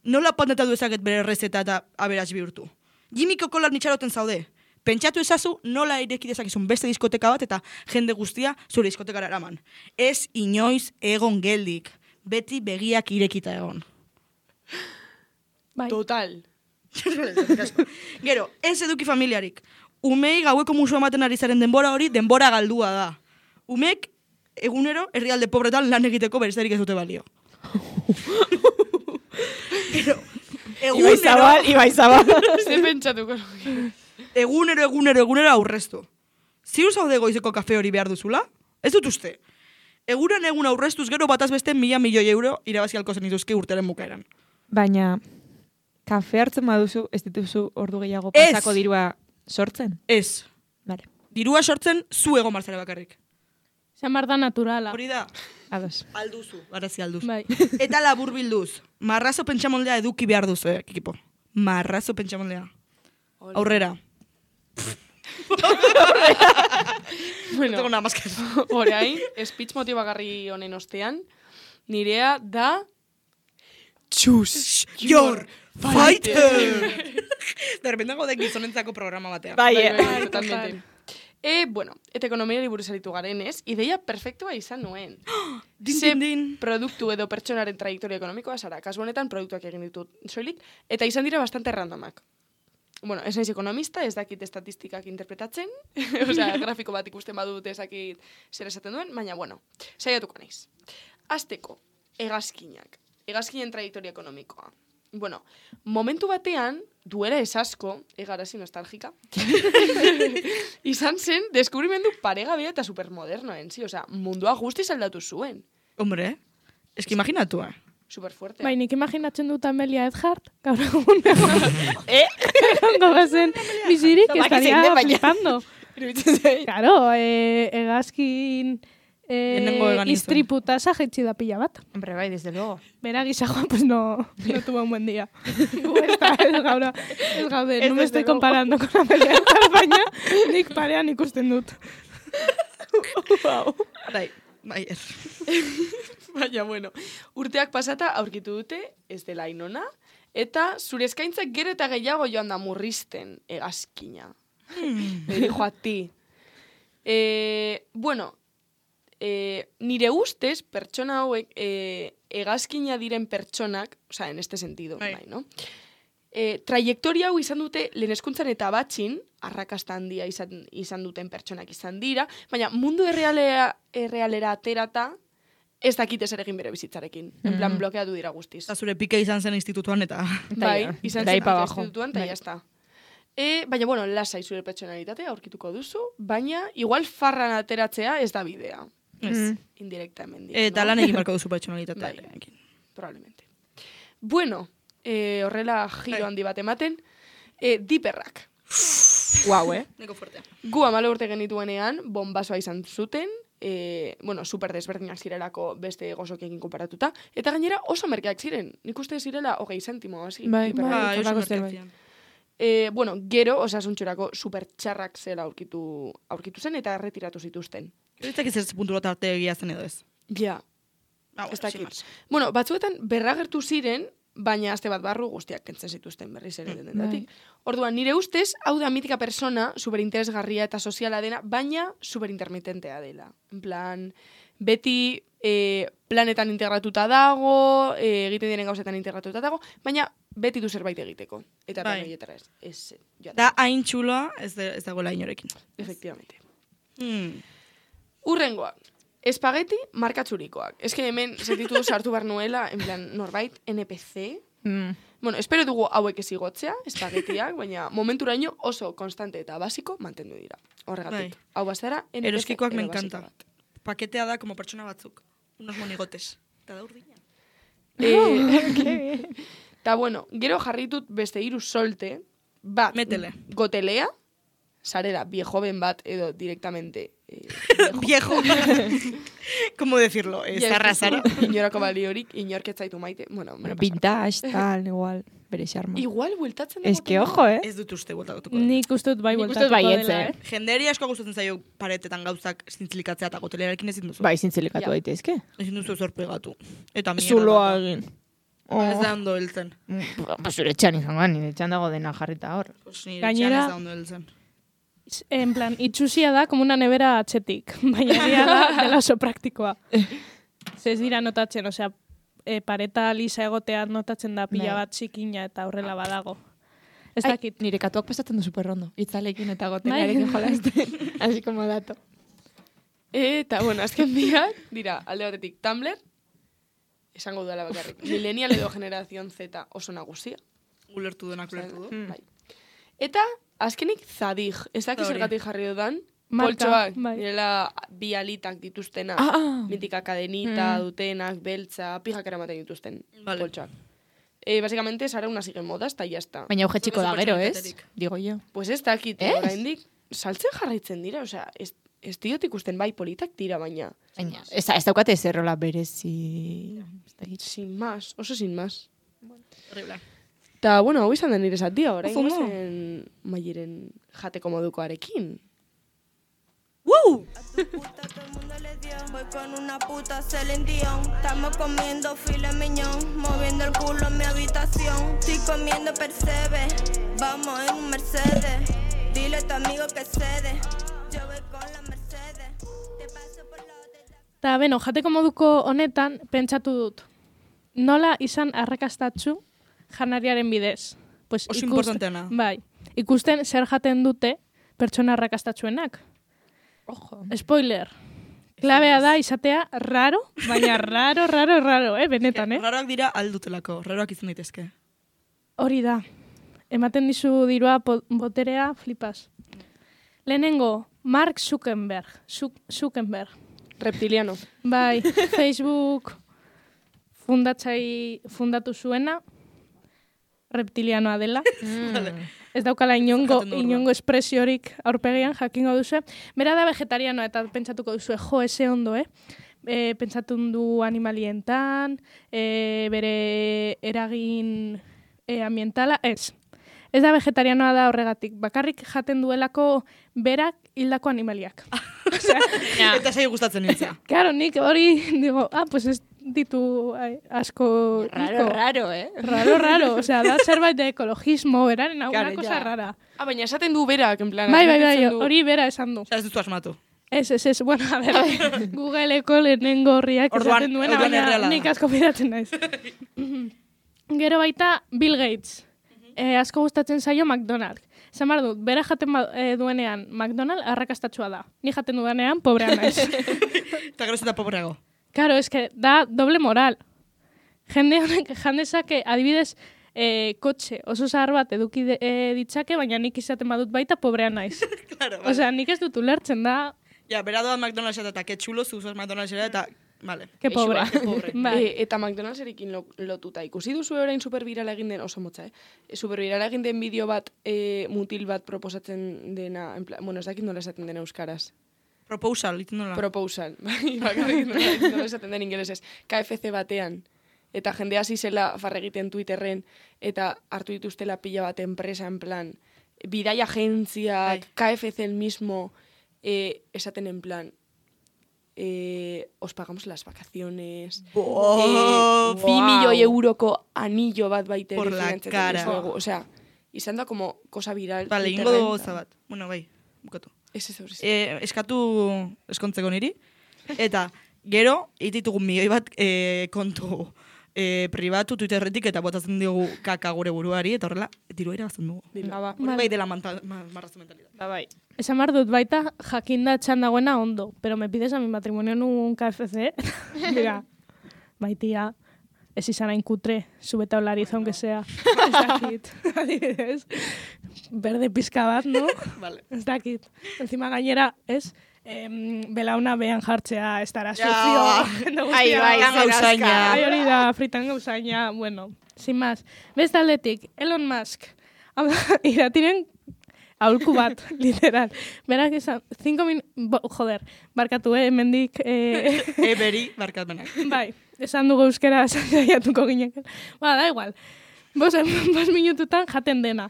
A: nola patentatu dezaket bere rezeta eta aberaz bihurtu. Jimmy Kokolar nitxaroten zaude. Pentsatu ezazu nola ireki dezakizun beste diskoteka bat eta jende guztia zure diskotekara eraman. Ez inoiz egon geldik, beti begiak irekita egon.
D: Bai.
C: Total.
A: Gero, ez eduki familiarik. Umei gaueko musua ematen ari zaren denbora hori, denbora galdua da. Umek egunero herrialde pobretan lan egiteko beresterik ez dute balio. Gero,
E: Ibai Zabal.
C: Ze pentsatuko.
A: egunero aurreztu. Ziur zaude goizeko kafe hori behar duzula? Ez dut uste. Egun aurreztuz gero bataz beste 1.000 milioi euro irabazi alko zenituzke urteren bukaeran.
E: Baina, kafe hartzen baduzu, ez dituzu ordu gehiago
A: Ez.
E: pasako dirua sortzen?
A: Ez.
E: Vale,
A: Dirua sortzen zu egon barzara bakarrik.
D: Zan behar da naturala.
A: Hori da,
E: ados.
A: alduzu, garazi alduzu.
D: Bai.
A: Eta labur bilduz, marrazo pentsamoldea eduki behar duzu, ekipo. Marrazo pentsamoldea. Aurrera.
C: Bueno,
A: Tengo nada más que eso.
C: orain, speech motibagarri honen ostean, nirea da
A: Choose your fighter! De repente gaude gizonentzako programa batean.
E: Bai,
C: totalmente. Bueno, eta ekonomiari buruz aritu garenez, ideia perfektua izan nuen.
A: Din.
C: Produktu edo pertsonaren trajektoria ekonomikoa zara. Kasu honetan produktuak egin ditut soilik, eta izan dira bastante randomak. Bueno, ez naiz ekonomista, ez dakit estatistikak interpretatzen, osea, grafiko bat ikusten badut ez dakit zer esaten duen, baina, bueno, saiatuko naiz. Azteko, hegazkinen trajektoria ekonomikoa. Bueno, momentu batean, duela ez asko, egarazi nostalgika, izan zen deskubrimendu paregabea eta supermodernoen, osea, mundua guztiz aldatu zuen.
A: Hombre, eski imaginatu,
C: Superfuerte.
D: Bai, nik imaginatzen dut Amelia Earhart, gaur egun egongo bazen bizirik,
E: Zobaki zein
D: estaria
E: den, baina.
D: flipando.
E: Iruditzen zait.
D: Claro, hegazkin
A: Lehenengo egan
D: istriputa jaitsi da pila bat.
E: Hombre, bai, desde luego.
D: Bera gizajoa, pues no tuvo un buen día. Gu ez gaude, no me estoy comparando con Amelia Earhart, baina nik parean ikusten dut.
A: Bai,
C: Baina, bueno, urteak pasata aurkitu dute, ez dela inona, eta zure eskaintzak gero eta gehiago joan da murrizten hegazkina. Le dijo a ti. Bueno, nire ustez, pertsona hauek, hegazkina diren pertsonak, osea, en este sentido,
A: Bai.
C: bai, no? Trajektoria hau izan dute lehen hezkuntzan eta batxin, arrakasta handia izan duten pertsonak izan dira, baina mundu errealera aterata, ez dakite zer egin bere bizitzarekin. En plan, blokeatu dira guztiz.
A: Eta zure pike izan zen institutuan eta...
C: Bai, izan
E: de ahí
C: zen
E: pa' abajo.
C: institutuan, eta
E: Bai.
C: jazta. Baina, bueno, lasai zure pertsonalitatea aurkituko duzu, baina igual farran ateratzea ez da bidea.
A: Ez.
C: Indirectamente.
A: Eta
C: no?
A: lan egin barko duzu pertsonalitatea.
C: Bai. Probablemente. Bueno, horrela giro handi bat ematen, diperrak.
E: Guau,
A: Neko fuerte.
C: Gu 14 urte genituenean, bombasoa izan zuten, bueno, super desberdinak zirelako beste gozokiekin konparatuta, eta gainera oso merkeak ziren. Nik uste zirela 20 zentimo, hasi.
E: Bai,
C: diperrak.
A: Ba, oso
E: horrelako zer,
A: merkeak ziren.
C: Bueno, gero osasuntxorako super txarrak zela aurkitu zen eta erretiratu zituzten.
A: Ez dakit zer puntu bat arte egia zen edo ez.
C: Ja,
A: Ah,
C: ez
A: sin
C: dakit.
A: más.
C: Bueno, batzuetan berragertu ziren, baina aste bat barru guztiak kentzen zituzten berriz ere dendatik. Orduan, nire ustez, hau da mitika persona, superinteresgarria eta soziala dena, baina superintermitentea dela. En plan, beti planetan integratuta dago, egiten diren gauzetan integratuta dago, baina beti du zerbait egiteko. Eta
A: Bai.
C: horietara ez joan.
A: Da hain txuloa ez dagoela inorekin.
C: Efectivamente.
A: Hmm.
C: Urrengoak. Espageti markatzurikoak. Ez que hemen sentitu sartu behar nuela, en plan, norbait, NPC. Bueno, espero dugu hauek ez igotzea, espagetiak, baina momenturaino oso konstante eta basiko mantendu dira. Horregatik.
A: Bai.
C: Hau bazara, NPC
A: Eroskikoak me
C: edo basiko
A: encanta.
C: bat.
A: Paketea da como pertsona batzuk. Unos monigotes. Eta da urdina.
C: Ta bueno, gero jarritut beste 3 solte, bat,
A: Métele.
C: gotelea, sarera, viejoven bat, edo directamente
A: Viejo. ¿Cómo decirlo? Zarra, zara.
C: Inorako baliorik, inork ez zaitu maite. Bueno, me lo pasa.
E: Vintage, tal, igual, bere xarma.
C: Igual bueltatzen da
E: Es que,
C: gotelea.
E: ojo,
A: Ez dut uste bueltatuko.
D: Nik uste dut bai
E: Nik uste
D: bueltatuko
E: dut baietz,
D: dela,
A: Jenderi asko gustatzen zaio paretetan gauzak zintzilikatzea eta gotelerarekin ezin duzu.
E: Bai, zintzilikatu
C: Ja.
E: daitezke.
A: Ezin duzu zorpegatu. Eta mierda.
E: Zuloa
A: bat da.
E: egin.
A: Ez da ondo heltzen.
E: Ba, zure etxan izango, nire etxan dago dena jarrita hor.
A: Pues nire
D: Gainera-
A: etxean ez da ondo heltzen.
D: En plan, itxusia da, como una nevera atxetik. Baina egia da, dela oso praktikoa. Ze ez dira notatzen, osea, pareta lisa egotea notatzen da pila
E: Bai.
D: bat txikina eta horrela badago. Ez
E: Ai,
D: dakit.
E: nire katuak pasatzen du superrondo. Itzalekin eta gotelarekin jolazten. Así como dato.
C: Eta, bueno, azken biak, dira, alde batetik Tumblr, esango dudala bakarrik. Millennial edo generazion Z oso nagusia.
A: Ulertu denak ulertu du.
C: Bai. Eta, azkenik Zadig. Ez dakit
A: Hori.
C: zergatik jarri dudan.
D: Marka,
C: Poltsoak,
D: bai.
C: direla bi alitak dituztenak. Mitika kadenita, dutenak, beltza, pijak eramaten dituzten.
A: Vale.
C: Poltsoak. Básicamente, sara una sigue modas, eta jazta.
E: Baina auge txiko da gero, ez?
A: Supertxoitaterik.
E: Digo yo.
C: Pues ez dakit,
E: Ez?
C: oraindik saltzen jarraitzen dira, osea, ez diot ikusten bai politak dira, baina
E: Baina, ez daukate zerrola berezi... Ez dakit.
C: sin más, oso sin más.
A: Horrible.
C: Ta, bueno, hau izan da nire zatia, orain
A: Oso ondo.
C: gozen maieren jateko modukoarekin.
A: Woo!
G: Puta, todo el mundo le dio. Voy con una puta Celine Dion. Estamos comiendo filet mignon, moviendo el culo en mi habitación. Estoy comiendo percebe, vamos en un Mercedes. Dile a tu amigo que cede. Yo voy con la Mercedes. Te paso por lo de...
D: Eta beno, jateko moduko honetan pentsatu dut. Nola izan arrakastatzu janariaren bidez. Pues
A: Oso importanteena.
D: Bai, ikusten zer jaten dute pertsona arrakastatsuenak.
E: Ojo.
D: Spoiler. Klabea da izatea raro, baina raro, benetan,
A: Raroak dira aldutelako, raroak izan daitezke.
D: Hori da. Ematen dizu dirua boterea flipas. Lehenengo, Mark Zuckerberg. Zuckerberg.
C: Reptiliano.
D: Bai, Facebook fundatu zuena, reptilianoa dela. Ez daukala
A: Jaten du
D: inongo espresiorik aurpegian jakingo duzu. Bera da vegetarianoa eta pentsatuko duzu, jo, ese ondo, pentsatu du animalientan, bere eragin ambientala, ez. Ez da vegetarianoa da horregatik, bakarrik jaten duelako berak hildako animaliak. Osea,
A: Eta sei gustatzen nintzea.
D: claro, nik hori digo, pues ez ditu asko...
E: Raro,
D: Raro, osea, da zerbait de ekologismo, beraren,
E: Claro,
D: una cosa
E: ja.
D: rara.
C: Baina esaten du berak, en plan.
D: Bai,
C: admititzen du.
D: hori bera esan du.
A: Ez duzu asmatu.
D: Ez, bueno, a ver, Googleko lehenengo horriak
A: Orduan-
D: esaten duena,
A: orduan
D: baina
A: erreala da.
D: nik asko fidatzen naiz. Gero baita Bill Gates. Asko gustatzen zaio McDonald's. Esan behar dut, bera jaten duenean McDonald's arrakastatsua da. Ni jaten duenean pobrea naiz.
A: Eta gero eta pobreago.
D: Claro, es que da doble moral. Jende honek jandezake, adibidez, kotxe oso zahar bat eduki ditzake, baina nik izaten badut baita pobrea naiz.
A: Claro,
D: Osea, nik ez dut ulertzen da,
A: Ja, bera doa McDonald's eta que chulo, zuzuz McDonald's eta... Vale.
D: que pobre.
A: pobre.
D: Bai.
C: Eta McDonald'serekin lotuta. Ikusi duzu orain supervirala egin den, oso motza, supervirala egin den bideo bat, mutil bat proposatzen dena, en plan, bueno, ez dakit nola esaten den euskaraz.
A: Proposal, ditzen nola.
C: Proposal. Bai, bakarrik nola esaten den ingelesez. KFC batean. Eta jende hasi zela farregiten Twitterren, eta hartu dituztela pila bat enpresa, en plan, bidai agentziak, KFC el mismo, esaten en plan, os pagamos las vacaciones, 2 milioi euroko anillo bat baita
A: Por la
C: finantzen
A: cara.
C: dizuegu. Osea, izan da como cosa viral.
A: Vale, ingo
C: Twitterren.
A: dugu gauza bat. Bueno, bai, bukatu.
C: Ez hori.
A: Eskatu eskontzeko niri. Eta gero, ititugu milioi bat kontu pribatu Twitterretik eta botatzen diogu kaka gure buruari, eta horrela, diru irabazten dugu.
E: Ba,
A: Hori bai dela marrazo mentalidad.
E: bai.
D: Esan behar dut baita jakinda etxan dagoena ondo, pero me pides a mi matrimonio en un KFC. Mira, bai tia, ez izan hain kutre, subeta olariz, aunque sea. Ez dakit, adibidez. Berde pizka bat, no?
A: Vale.
D: Ez dakit. Encima gainera, ez? Belauna behan jartzea, ez dara
A: Ja.
D: sufio. Jende guztia.
E: Ai, bai,
A: Fritan
E: zer
A: gauzaina.
E: aska.
D: Ai, hori da, fritan gauzaina, bueno, sin más. Beste aldetik, Elon Musk. Hau da, iratiren aholku bat, literal. Berak esan, 5 joder, barkatu, hemendik,
A: Eberi, barkatmenak.
D: bai, esan dugu euskera saiatuko gineken. Ba, da igual. 5 minututan jaten dena.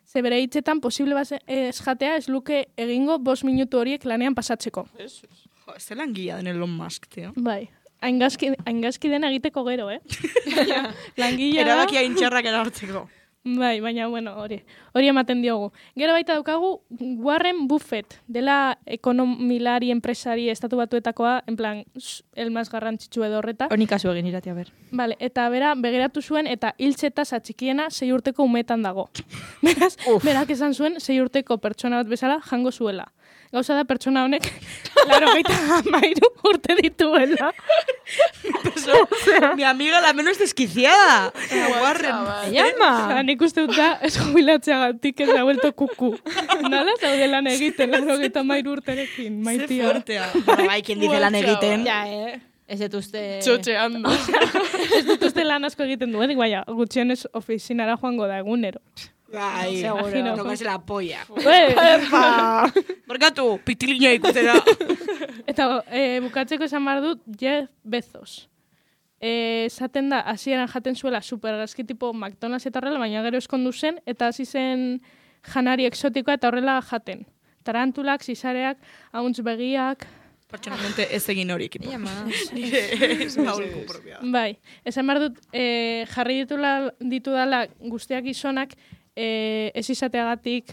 D: Ze bere hitzetan posible ez jatea ez luke egingo 5 minutu horiek lanean pasatzeko.
A: Jo, ez zelan gila den Elon Musk, tio.
D: Bai. Haingazki dena egiteko gero, Langilea da.
A: Erabakia intxarrak erartzeko.
D: Bai, baina, bueno, hori ematen diogu. Gero baita daukagu Warren Buffett, dela ekonomilari enpresari estatu batuetakoa, en plan, el más garrantzitsu edo horreta.
E: Honi kasu egin irati, a ber.
D: Vale, eta bera begiratu zuen eta hiltzetaz atxikiena 6 urteko umetan dago. Beraz, berak esan zuen 6 urteko pertsona bat bezala jango zuela. Gauza da pertsona honek 93 urte dituela.
A: Mi amiga la menos desquiciada. Warren.
E: Llama!
D: Nik uste dut da, ez jubilatzeagatik ez da vuelto kuku. Nala zaude lan egiten, 93 urterekin,
A: Ze
D: maitia.
A: fuertea. Bai, quien dice lan egiten.
E: Ja, Ez dut uste...
C: Txotxeando.
D: Ez dut uste lan asko egiten duen, baina gutxienez ofizinara joango da egunero.
A: Bai,
D: Seguro.
A: tocarse la polla.
D: Epa!
A: Barkatu, pitilina ikutera.
D: Eta bukatzeko esan behar dut Jeff Bezos. Esaten da, hasieran jaten zuela supergazki tipo McDonald's eta horrela, baina gero eskondu zen, eta hasi zen janari exotikoa eta horrela jaten. tarantulak, zizareak, hauntz begiak...
A: Pertsonalmente ez egin hori ekipo.
E: Ia, ma.
A: Ez aholku propioa.
D: Bai, esan behar dut, jarri ditudala guztiak gizonak, ez izateagatik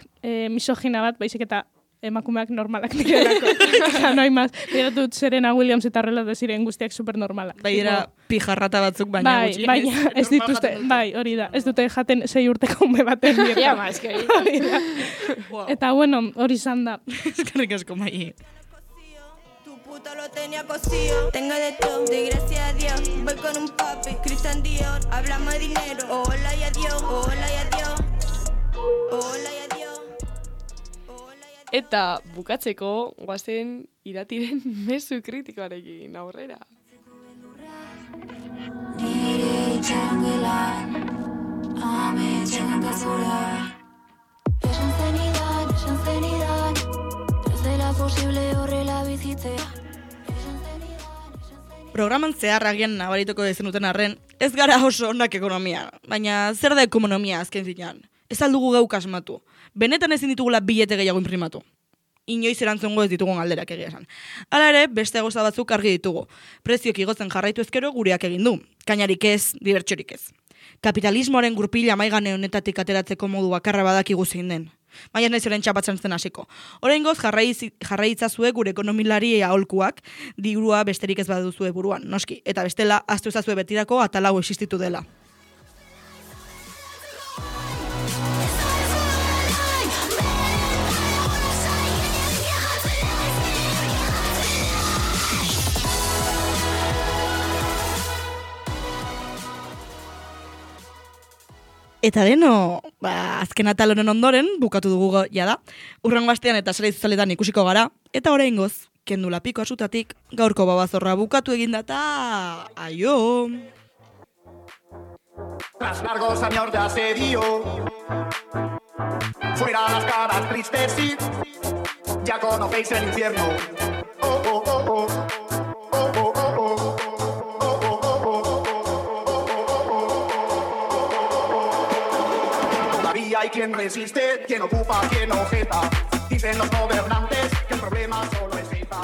D: misogina bat, baizik eta emakumeak normalak direlako. Eta noi maz, dut Serena Williams eta horrela ziren guztiak supernormalak.
A: Bai, era pijarrata batzuk, baina
D: bai,
A: gutxi.
D: baina ez dituzte, bai, hori da, ez dute jaten 6 urteko ume baten dieta.
E: Ja, ma, eski
D: Hori da.
A: Wow.
D: Eta bueno, hori izan da.
A: Eskerrik asko, Mai.
G: Tu puta lo tenía cosido. Tengo de todo, de gracias a Dios. Voy con un papi, Christian Dior. Hablamos de dinero. Hola y adiós, hola y adiós. Hola y adiós.
C: Eta bukatzeko guazen iratiren mezu kritikoarekin aurrera.
H: Nire itxarangelan, ametxen hankazura. Esan zenidan, ez dela posible horrela bizitzea.
A: Programan zehar agian nabarituko dezenuten arren, ez gara oso onak ekonomia, baina zer da ekonomia azken zinean? Ez aldugu geuk asmatu. Benetan ezin ditugula bilete gehiago inprimatu. Inoiz erantzungo ez ditugun alderak egia esan. Hala ere, beste gauza batzuk argi ditugu. Prezioak igotzen jarraitu ezkero gureak egin du. Kainarik ez, dibertsorik ez. Kapitalismoaren gurpila maigane honetatik ateratzeko modu bakarra badakigu zein den. Baina naiz orain txapatzen zen hasiko. Oraingoz jarraitzazue gure ekonomilari aholkuak, dirua besterik ez baduzue buruan, noski. Eta bestela, ahaztu ezazue betirako atalau existitu dela. Eta deno, azken atal honen ondoren, bukatu dugu jada, urrengo astean eta sare sozialetan ikusiko gara, eta oraingoz, kendu lapiko asutatik, gaurko babazorra bukatu egin data, aio!
B: Tras largos años de asedio, fuera las caras tristes, sí, ya conocéis el infierno. Oh, oh, oh, oh. Oh, oh, oh, oh. Hay quien resiste, quien ocupa, quien objeta. Dicen los gobernantes que el problema solo es ETA.